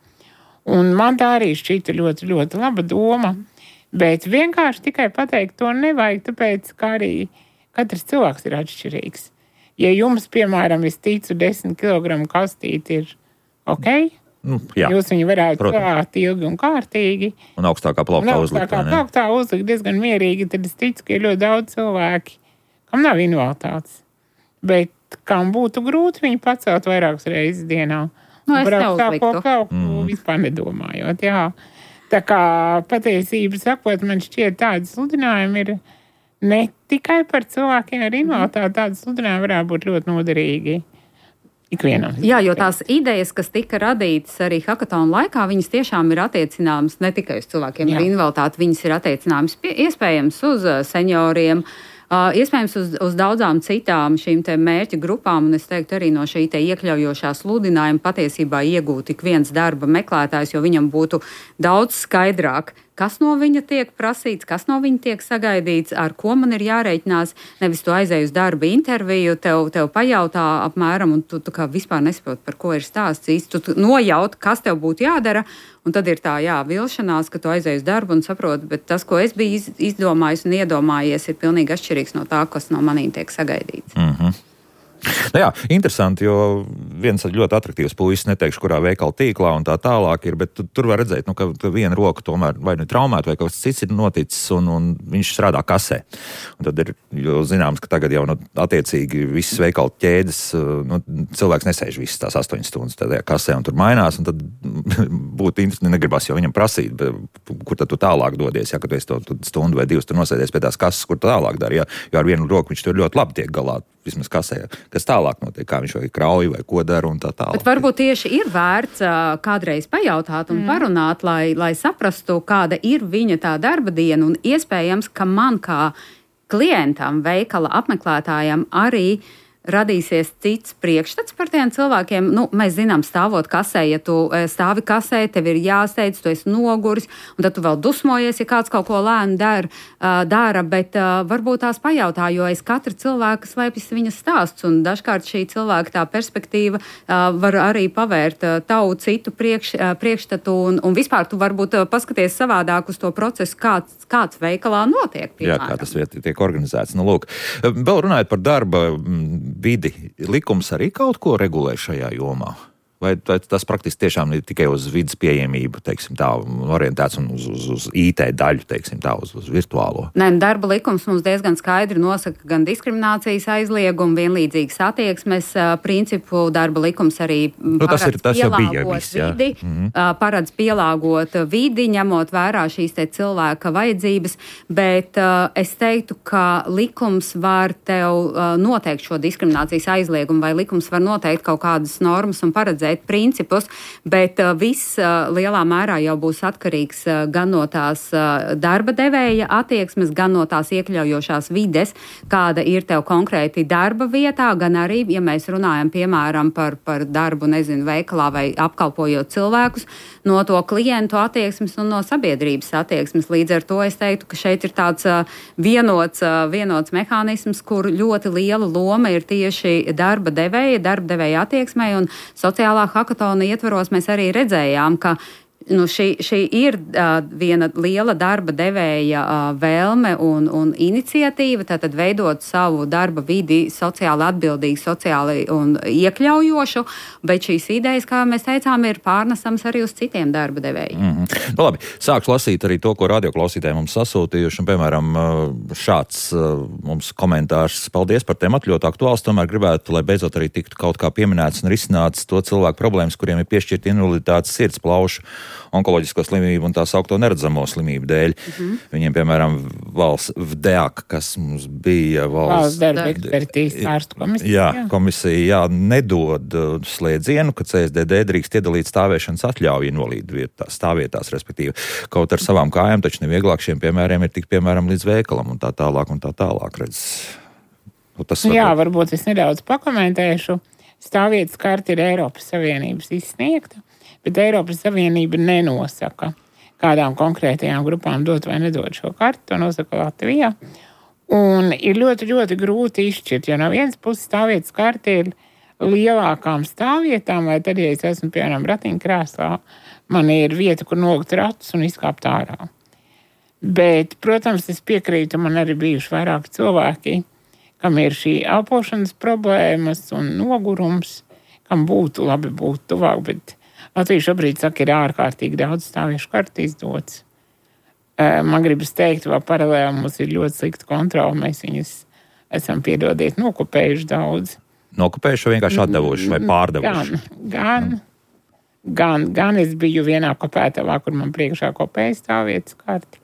[SPEAKER 3] Un man tā arī šķita ļoti, ļoti laba doma, bet vienkārši tikai pateikt to nevajag, tāpēc, ka arī katrs cilvēks ir atšķirīgs. Ja jums, piemēram, es ticu 10 kg kastīti ir ok, jūs viņu varētu klāt ilgi un kārtīgi.
[SPEAKER 1] Un augstākā plauktā uzlikt.
[SPEAKER 3] Plauktā uzlikt diezgan mierīgi, tad es ticu, ka ir ļoti daudz cilvēki, kam nav invaliditātes. Bet kam būtu grūti viņu pacelt vairākas reizes dienā.
[SPEAKER 2] Es neuzliktu.
[SPEAKER 3] Vispār nedomājot, jā. Tā kā patiesība sakot, man šķiet tādi sludinājumi ir ne tikai par cilvēkiem ar invaliditāti, tādi sludinājumi varētu būt ļoti noderīgi. Ikvienam.
[SPEAKER 2] Jā, jo tās idejas, kas tika radītas arī Hakatona laikā, viņas tiešām ir attiecināmas ne tikai uz cilvēkiem ar invaliditāti, viņas ir attiecināmas iespējams uz senioriem, iespējams uz daudzām citām šīm te mērķa grupām, un es teiktu arī no šī te iekļaujošā sludinājuma patiesībā iegūt ik viens darba meklētājs, jo viņam būtu daudz skaidrāk, kas no viņa tiek prasīts, kas no viņa tiek sagaidīts, ar ko man ir jārēķinās. Nevis tu aizēji uz darba interviju, tev pajautā apmēram, un tu kā vispār nesaproti, par ko ir stāsts. Tu nojaut, kas tev būtu jādara, un tad ir tā, vilšanās, ka tu aizēji uz darbu un saproti, bet tas, ko es biju izdomājis un iedomājies, ir pilnīgi atšķirīgs no tā, kas no manīm tiek sagaidīts.
[SPEAKER 1] Mhm. Jā, interesanti, jo viens ļoti atraktīvs puisis, neteikšu, kurā veikala tīklā un tā tālāk ir, bet tur var redzēt, ka viena roka tomēr vai nu traumēta vai kaut kas cits ir noticis un viņš strādā kasē. Un tad ir, jo zināms, ka tagad jau attiecīgi visas veikala ķēdes, cilvēks nesēž visas tās 8 stundas tajā kasē un tur mainās, un tad būtu interesanti, negribas jau viņam prasīt, kur tad tu tālāk dodies, ja, kad tu esi to stundu vai 2 tur nosēdies pie tās kases, kur tālāk dari, jo ar vienu roku viņš tur ļoti labi tiek galā, vismaz kasē, kas tālāk notiek, kā viņš vai krauj vai ko dara un tā tālāk.
[SPEAKER 2] Bet varbūt tieši ir vērts kādreiz pajautāt un parunāt, lai saprastu, kāda ir viņa tā darba diena, un iespējams, ka man kā klientam, veikala apmeklētājam arī radīsies cits priekšstats par tiem cilvēkiem. Nu, mēs zinām, stāvot kasē, ja tu stāvi kasē, tev ir jāsteidz, tu esi noguris, un tad tu vēl dusmojies, ja kāds kaut ko lēni dara, bet varbūt tās pajautā, jo aiz katra cilvēka slēpjas viņa stāsts, un dažkārt šī cilvēka tā perspektīva var arī pavērt tavu citu priekšstatu, un vispār tu varbūt paskaties savādāk uz to procesu, kāds veikalā notiek. Piemēram.
[SPEAKER 1] Jā, kā tas tiek organizēts. Nu, lūk, vēl runājot par darba vidi, likums arī kaut ko regulē šajā jomā? Vai tas praktiski tiešām ir tikai uz vidas pieejamību, teiksim tā, orientēts un uz IT daļu, teiksim tā, uz virtuālo?
[SPEAKER 2] Nē, darba likums mums diezgan skaidri nosaka gan diskriminācijas aizliegumu, vienlīdzīgas attieksmes principu. Darba likums arī paredz pielāgot vidi, ņemot vērā šīs te cilvēka vajadzības, bet es teiktu, ka likums var tev noteikt šo diskriminācijas aizliegumu, vai likums var noteikt kaut kādas normas un paredzēt principus, bet viss lielā mērā jau būs atkarīgs gan no tās darba devēja attieksmes, gan no tās iekļaujošās vides, kāda ir tev konkrēti darba vietā, gan arī, ja mēs runājam, piemēram, par darbu, veikalā vai apkalpojot cilvēkus, no to klientu attieksmes un no sabiedrības attieksmes. Līdz ar to es teiktu, ka šeit ir tāds vienots mehānisms, kur ļoti liela loma ir tieši darba devēja attieksmei, un sociālā hakatona ietvaros mēs arī redzējām, ka šī ir viena liela darba devēja vēlme un iniciatīva, tātad veidot savu darba vidi sociāli atbildīgu, sociāli un iekļaujošu, bet šīs idejas, kā mēs teicām, ir pārnesams arī uz citiem darba devējiem.
[SPEAKER 1] Nu, labi, sākšu lasīt arī to, ko radioklausītāji mums sasūtījuši, un, piemēram, šāds mums komentārs: paldies par tematu, ļoti aktuāls, tomēr gribētu, lai beidzot arī tiktu kaut kā pieminēts un risināts to cilvēku problēmas, kuriem ir piešķirta invaliditātes sirds, plaušu, onkoloģisko slimību un tā saukto neredzamo slimību dēļ. Viņiem, piemēram, valsts VDEAK, kas mums bija
[SPEAKER 3] valsts darba ekspertīzes ārstu komisija.
[SPEAKER 1] Jā, komisija nedod slēdzienu, ka CSDD drīkst iedalīt stāvēšanas atļauju invalīdu stāvvietās, respektīvi. Kaut ar savām kājām, taču nevieglāk šiem piemēriem ir tik, piemēram, līdz veikalam un tā tālāk, redz.
[SPEAKER 3] Varbūt es nedaudz pakomentēšu. Stāvvietas karte ir Eiropas Savienības izsniegta, bet Eiropas Savienība nenosaka, kādām konkrētajām grupām dot vai nedot šo karti, to nosaka Latvijā. Un ir ļoti, ļoti grūti izšķirt, jo no vienas puses stāvvietas karte ir lielākām stāvvietām, vai tad, ja es esmu, piemēram, ratiņkrēslā, man ir vieta, kur nogt ratus un izkāpt ārā. Bet, protams, es piekrītu, man arī bijuši vairāki cilvēki, kam ir šī elpošanas problēmas un nogurums, kam būtu labi būt tuvāk, bet Latvija šobrīd saka, ir ārkārtīgi daudz stāvviešu karti izdots. Man gribas teikt, vēl paralēli mums ir ļoti slikta kontrola, mēs viņus esam, piedodiet, nokopējuši daudz.
[SPEAKER 1] Nokopējuši vai vienkārši atdevuši vai pārdevuši?
[SPEAKER 3] Gan es biju vienā kopētavā, kur man priekšā kopēja stāvvietas karti,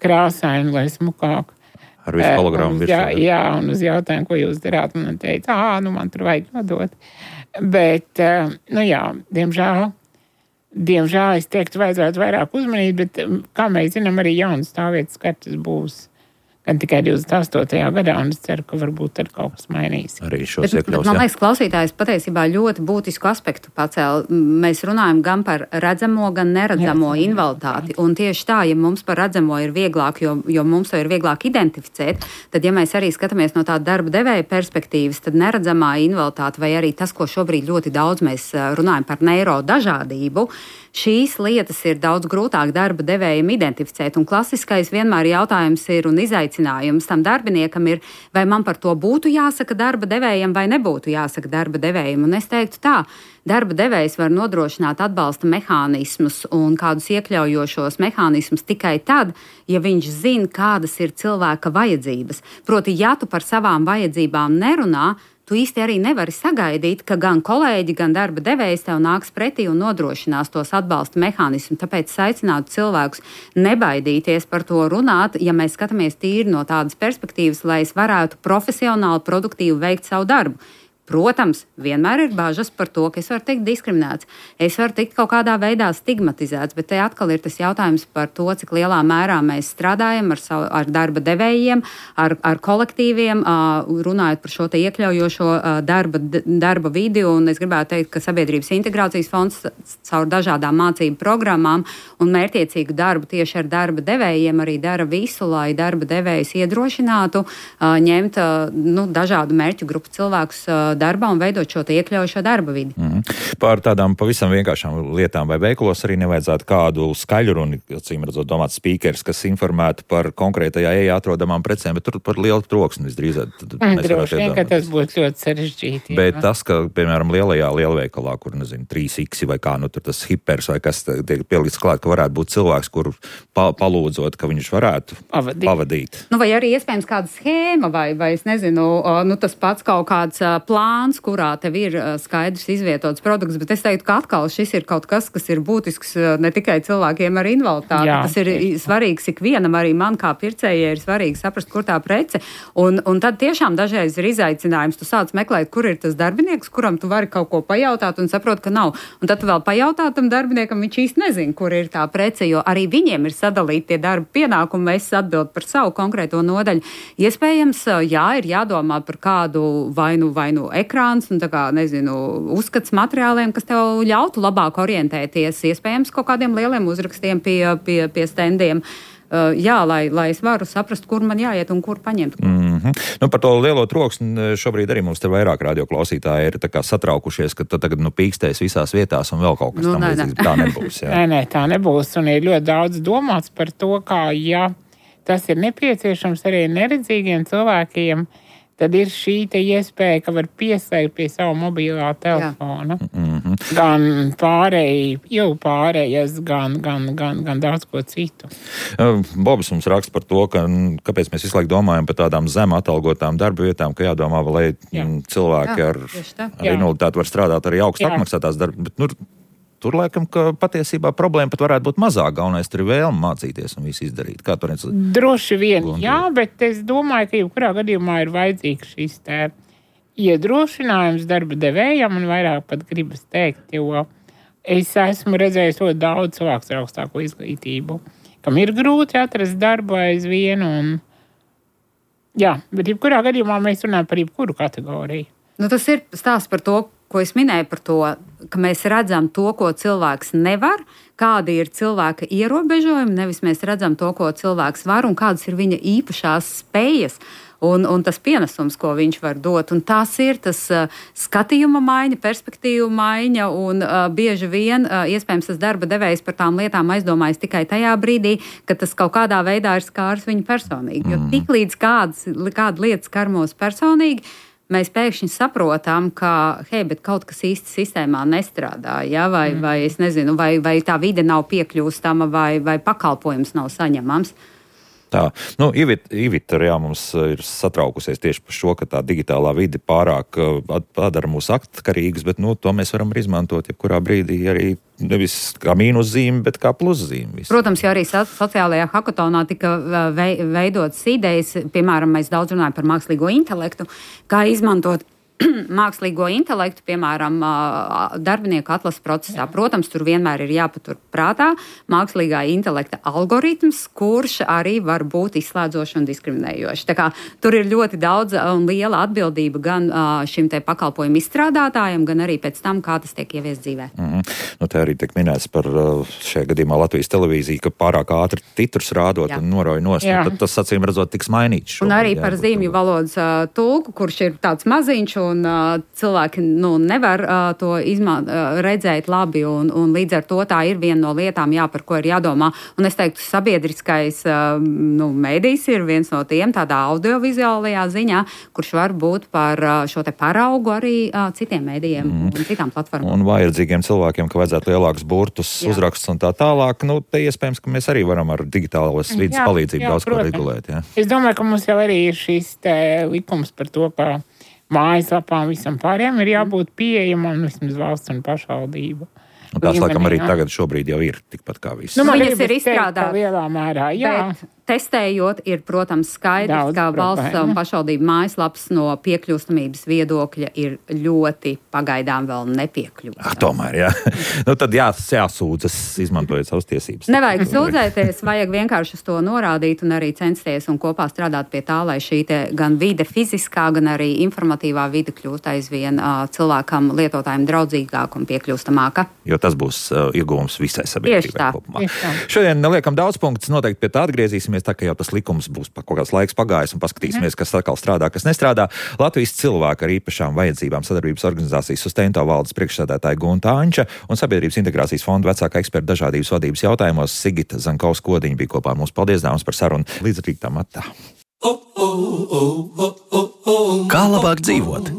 [SPEAKER 3] krāsaini, lai smukāk.
[SPEAKER 1] Ar visu hologramu virsū.
[SPEAKER 3] Jā, un uz jautājumu, ko jūs darāt, man teica, man tur vajag nodot. Bet, diemžēl es teiktu, vajadzētu vairāk uzmanīt, bet, kā mēs zinām, arī jaunas stāvvietas kartes būs gan tikai 28. gadā, un es ceru, ka varbūt ar kaut kas mainīs.
[SPEAKER 1] Arī šos iekļaus.
[SPEAKER 2] Man liekas, klausītājs patiesībā ļoti būtisku aspektu pacēla. Mēs runājam gan par redzamo, gan neredzamo invaliditāti. Un tieši tā, ja mums par redzamo ir vieglāk, jo mums to ir vieglāk identificēt, tad, ja mēs arī skatāmies no tāda darba devēja perspektīvas, tad neredzamā invaliditāte vai arī tas, ko šobrīd ļoti daudz mēs runājam par neirodažādību, šīs lietas ir daudz grūtāk darba devējiem identificēt. Un klasiskais vienmēr jautājums ir un izaicinājums tam darbiniekam ir, vai man par to būtu jāsaka darba devējam vai nebūtu jāsaka darba devējam. Un es teiktu tā, darba devējs var nodrošināt atbalsta mehānismus un kādus iekļaujošos mehānismus tikai tad, ja viņš zina, kādas ir cilvēka vajadzības. Proti, ja tu par savām vajadzībām nerunā, tu īsti arī nevari sagaidīt, ka gan kolēģi, gan darba devējs tev nāks pretī un nodrošinās tos atbalsta mehānismus. Tāpēc es aicinātu cilvēkus nebaidīties par to runāt, ja mēs skatāmies tīri no tādas perspektīvas, lai es varētu profesionāli, produktīvi veikt savu darbu. Protams, vienmēr ir bažas par to, ka es varu tikt diskriminēts, es varu tikt kaut kādā veidā stigmatizēts, bet te atkal ir tas jautājums par to, cik lielā mērā mēs strādājam ar darba devējiem, ar kolektīviem, runājot par šo te iekļaujošo darba vidi, un es gribētu teikt, ka Sabiedrības integrācijas fonds caur dažādām mācību programmām un mērķiecīgu darbu tieši ar darba devējiem arī dara visu, lai darba devējs iedrošinātu ņemt dažādu mērķu grupu cilvēkus darbā un veidot šo iekļaujošo darba vidi.
[SPEAKER 1] Par tādām pavisam vienkāršām lietām vai veikalos arī nevajadzētu kādu skaļruni, acīm redzot, domāt spīkers, kas informētu par konkrētajā ejā atrodamām precēm, bet tur par lielu troksni visdrīzāk.
[SPEAKER 3] Droši vien, ka tas būtu ļoti sarežģīti.
[SPEAKER 1] Bet tas, ka, piemēram, lielajā lielveikalā, kur, 3X vai kā, tur tas hipers vai kas tiek pielikts klāt, ka varētu būt cilvēks, kur palūdzot, ka viņš varētu pavadīt.
[SPEAKER 2] Vai arī iespējams kāda schēma vai es nezinu, tas pats kaut kāds plāns, kurā tev ir skaidrs izvietots produkts, bet es teiktu, ka atkal šis ir kaut kas, kas ir būtisks ne tikai cilvēkiem ar invaliditāti. Tas ir svarīgs ikvienam, arī man kā pircējai ir svarīgi saprast, kur tā prece. Un tad tiešām dažreiz ir izaicinājums. Tu sāc meklēt, kur ir tas darbinieks, kuram tu vari kaut ko pajautāt un saprot, ka nav. Un tad tu vēl pajautā tam darbiniekam, viņš īsti nezina, kur ir tā prece, jo arī viņiem ir sadalīti tie darba pienākumi, es atbildu par savu konkrēto nodaļu. Iespējams, ir jādomā par kādu vai nu ekrāns un uzskats materiāliem, kas tev ļautu labāk orientēties, iespējams, kaut kādiem lieliem uzrakstiem pie standiem. Lai es varu saprast, kur man jāiet un kur paņemt.
[SPEAKER 1] Par to lielo troksni šobrīd arī mums te vairāk radioklausītāji ir satraukušies, ka tagad pīkstēs visās vietās un vēl kaut kas tam līdzīgs. Tā nebūs.
[SPEAKER 3] Nē, tā nebūs. Un ir ļoti daudz domāts par to, kā, tas ir nepieciešams arī neredzīgiem cilvēkiem, tad ir šī iespēja, ka var pieslēgt pie savu mobilā telefona. Gan pārējas, gan daudz ko citu.
[SPEAKER 1] Bobs mums raksta par to, kāpēc mēs visu laiku domājam par tādām zem atalgotām darba vietām, ka jādomā, lai cilvēki ar invaliditāti var strādāt arī augstu apmaksātās darba. Bet, tur laikam, ka patiesībā problēma pat varētu būt mazāk. Galvenais tur ir vēlme mācīties un visu izdarīt. Kā tur redz?
[SPEAKER 3] Droši vien, bet es domāju, ka jebkurā gadījumā ir vajadzīgs šis iedrošinājums darba devējam un vairāk pat gribas teikt, jo es esmu redzējis ļoti daudz cilvēku ar augstāko izglītību, kam ir grūti atrast darbu aizvien bet jebkurā gadījumā mēs runājam par jebkuru kategoriju.
[SPEAKER 2] Tas ir stāsts par to, ko es minēju par to, ka mēs redzam to, ko cilvēks nevar, kādi ir cilvēka ierobežojumi, nevis mēs redzam to, ko cilvēks var un kādas ir viņa īpašās spējas un tas pienesums, ko viņš var dot. Un tas ir tas skatījuma maiņa, perspektīva maiņa un bieži vien iespējams tas darba devējs par tām lietām aizdomājas tikai tajā brīdī, kad tas kaut kādā veidā ir skārs viņu personīgi. Jo tiklīdz kāda lieta skar mūs personīgi, mēs pēkšņi saprotam, ka, bet kaut kas īsti sistēmā nestrādā, vai es nezinu, vai tā vide nav piekļūstama, vai pakalpojums nav saņemams.
[SPEAKER 1] Tā, Ivita mums ir satraukusies tieši par šo, ka tā digitālā vide pārāk padara mūs atkarīgus, bet to mēs varam izmantot jebkurā brīdī arī nevis kā mīnuszīme, bet kā pluszīme.
[SPEAKER 2] Protams, jo arī sociālajā hakatonā tika veidotas idejas, piemēram, mēs daudz runājam par mākslīgo intelektu, kā izmantot mākslīgo intelektu, piemēram, darbinieku atlases procesā. Protams, tur vienmēr ir jāpatur prātā mākslīgā intelekta algoritms, kurš arī var būt izslēdzošs un diskriminējošs. Tā kā tur ir ļoti daudz un liela atbildība gan šim te pakalpojumu izstrādātājiem, gan arī pēc tam, kā tas tiek ieviests dzīvē.
[SPEAKER 1] Te arī tiek minēts par šajā gadījumā Latvijas televīziju, ka pārāk ātri titrus rādot un norauj nost. Tad tas, acīm redzot, tiks mainīts.
[SPEAKER 2] Un arī par zīmju valodas tulku, kurš ir tāds maziņš un cilvēki nevar to redzēt labi, un līdz ar to tā ir viena no lietām, par ko ir jādomā. Un es teiktu, sabiedriskais mēdījis ir viens no tiem tādā audiovizuālajā ziņā, kurš var būt par šo te paraugu arī citiem mēdījiem un citām platformām.
[SPEAKER 1] Un vajadzīgiem cilvēkiem, ka vajadzētu lielākus burtus, uzrakstus un tā tālāk, te iespējams, ka mēs arī varam ar digitālas vidas palīdzību daudz ko regulēt.
[SPEAKER 3] Es domāju, ka mums jau arī ir šis likums par to, ka mājaslapām visam pārējiem ir jābūt pieejamam vismaz valsts un pašvaldību.
[SPEAKER 1] Un tās, laikam, arī tagad šobrīd jau ir tikpat kā viss.
[SPEAKER 2] Viņas ir izstrādātas
[SPEAKER 3] lielā mērā,
[SPEAKER 2] Testējot, ir, protams, skaidrs, ka valsts un pašvaldību mājaslapas no piekļūstamības viedokļa ir ļoti pagaidām vēl nepiekļūstams.
[SPEAKER 1] Tomēr, jā. Tad jāsūdzas, izmantojot savas tiesības.
[SPEAKER 2] Nevajag sūdzēties, vajag vienkārši uz to norādīt un arī censties un kopā strādāt pie tā, lai šī gan vide fiziskā, gan arī informatīvā vide kļūst aizvien cilvēkam, lietotājiem draudzīgāk un piekļūstamāka.
[SPEAKER 1] Jo tas būs ieguvums visai sabiedrībai kopumā. Šodien neliekam daudz punktus, noteikti pie tā atgriezīsimies, tā kā jau tas likums būs kaut kāds laiks pagājis un paskatīsimies, kas atkal strādā, kas nestrādā. Latvijas cilvēku ar īpašām vajadzībām sadarbības organizācijas Sustento valdes priekšsēdētāja Gunta Anča un Sabiedrības integrācijas fonda vecākā eksperta dažādības vadības jautājumos Sigita Zankovska-Odiņa bija kopā ar mums. Paldies, dāmas, par sarunu. Līdz rītam atā. Kā labāk dzīvot?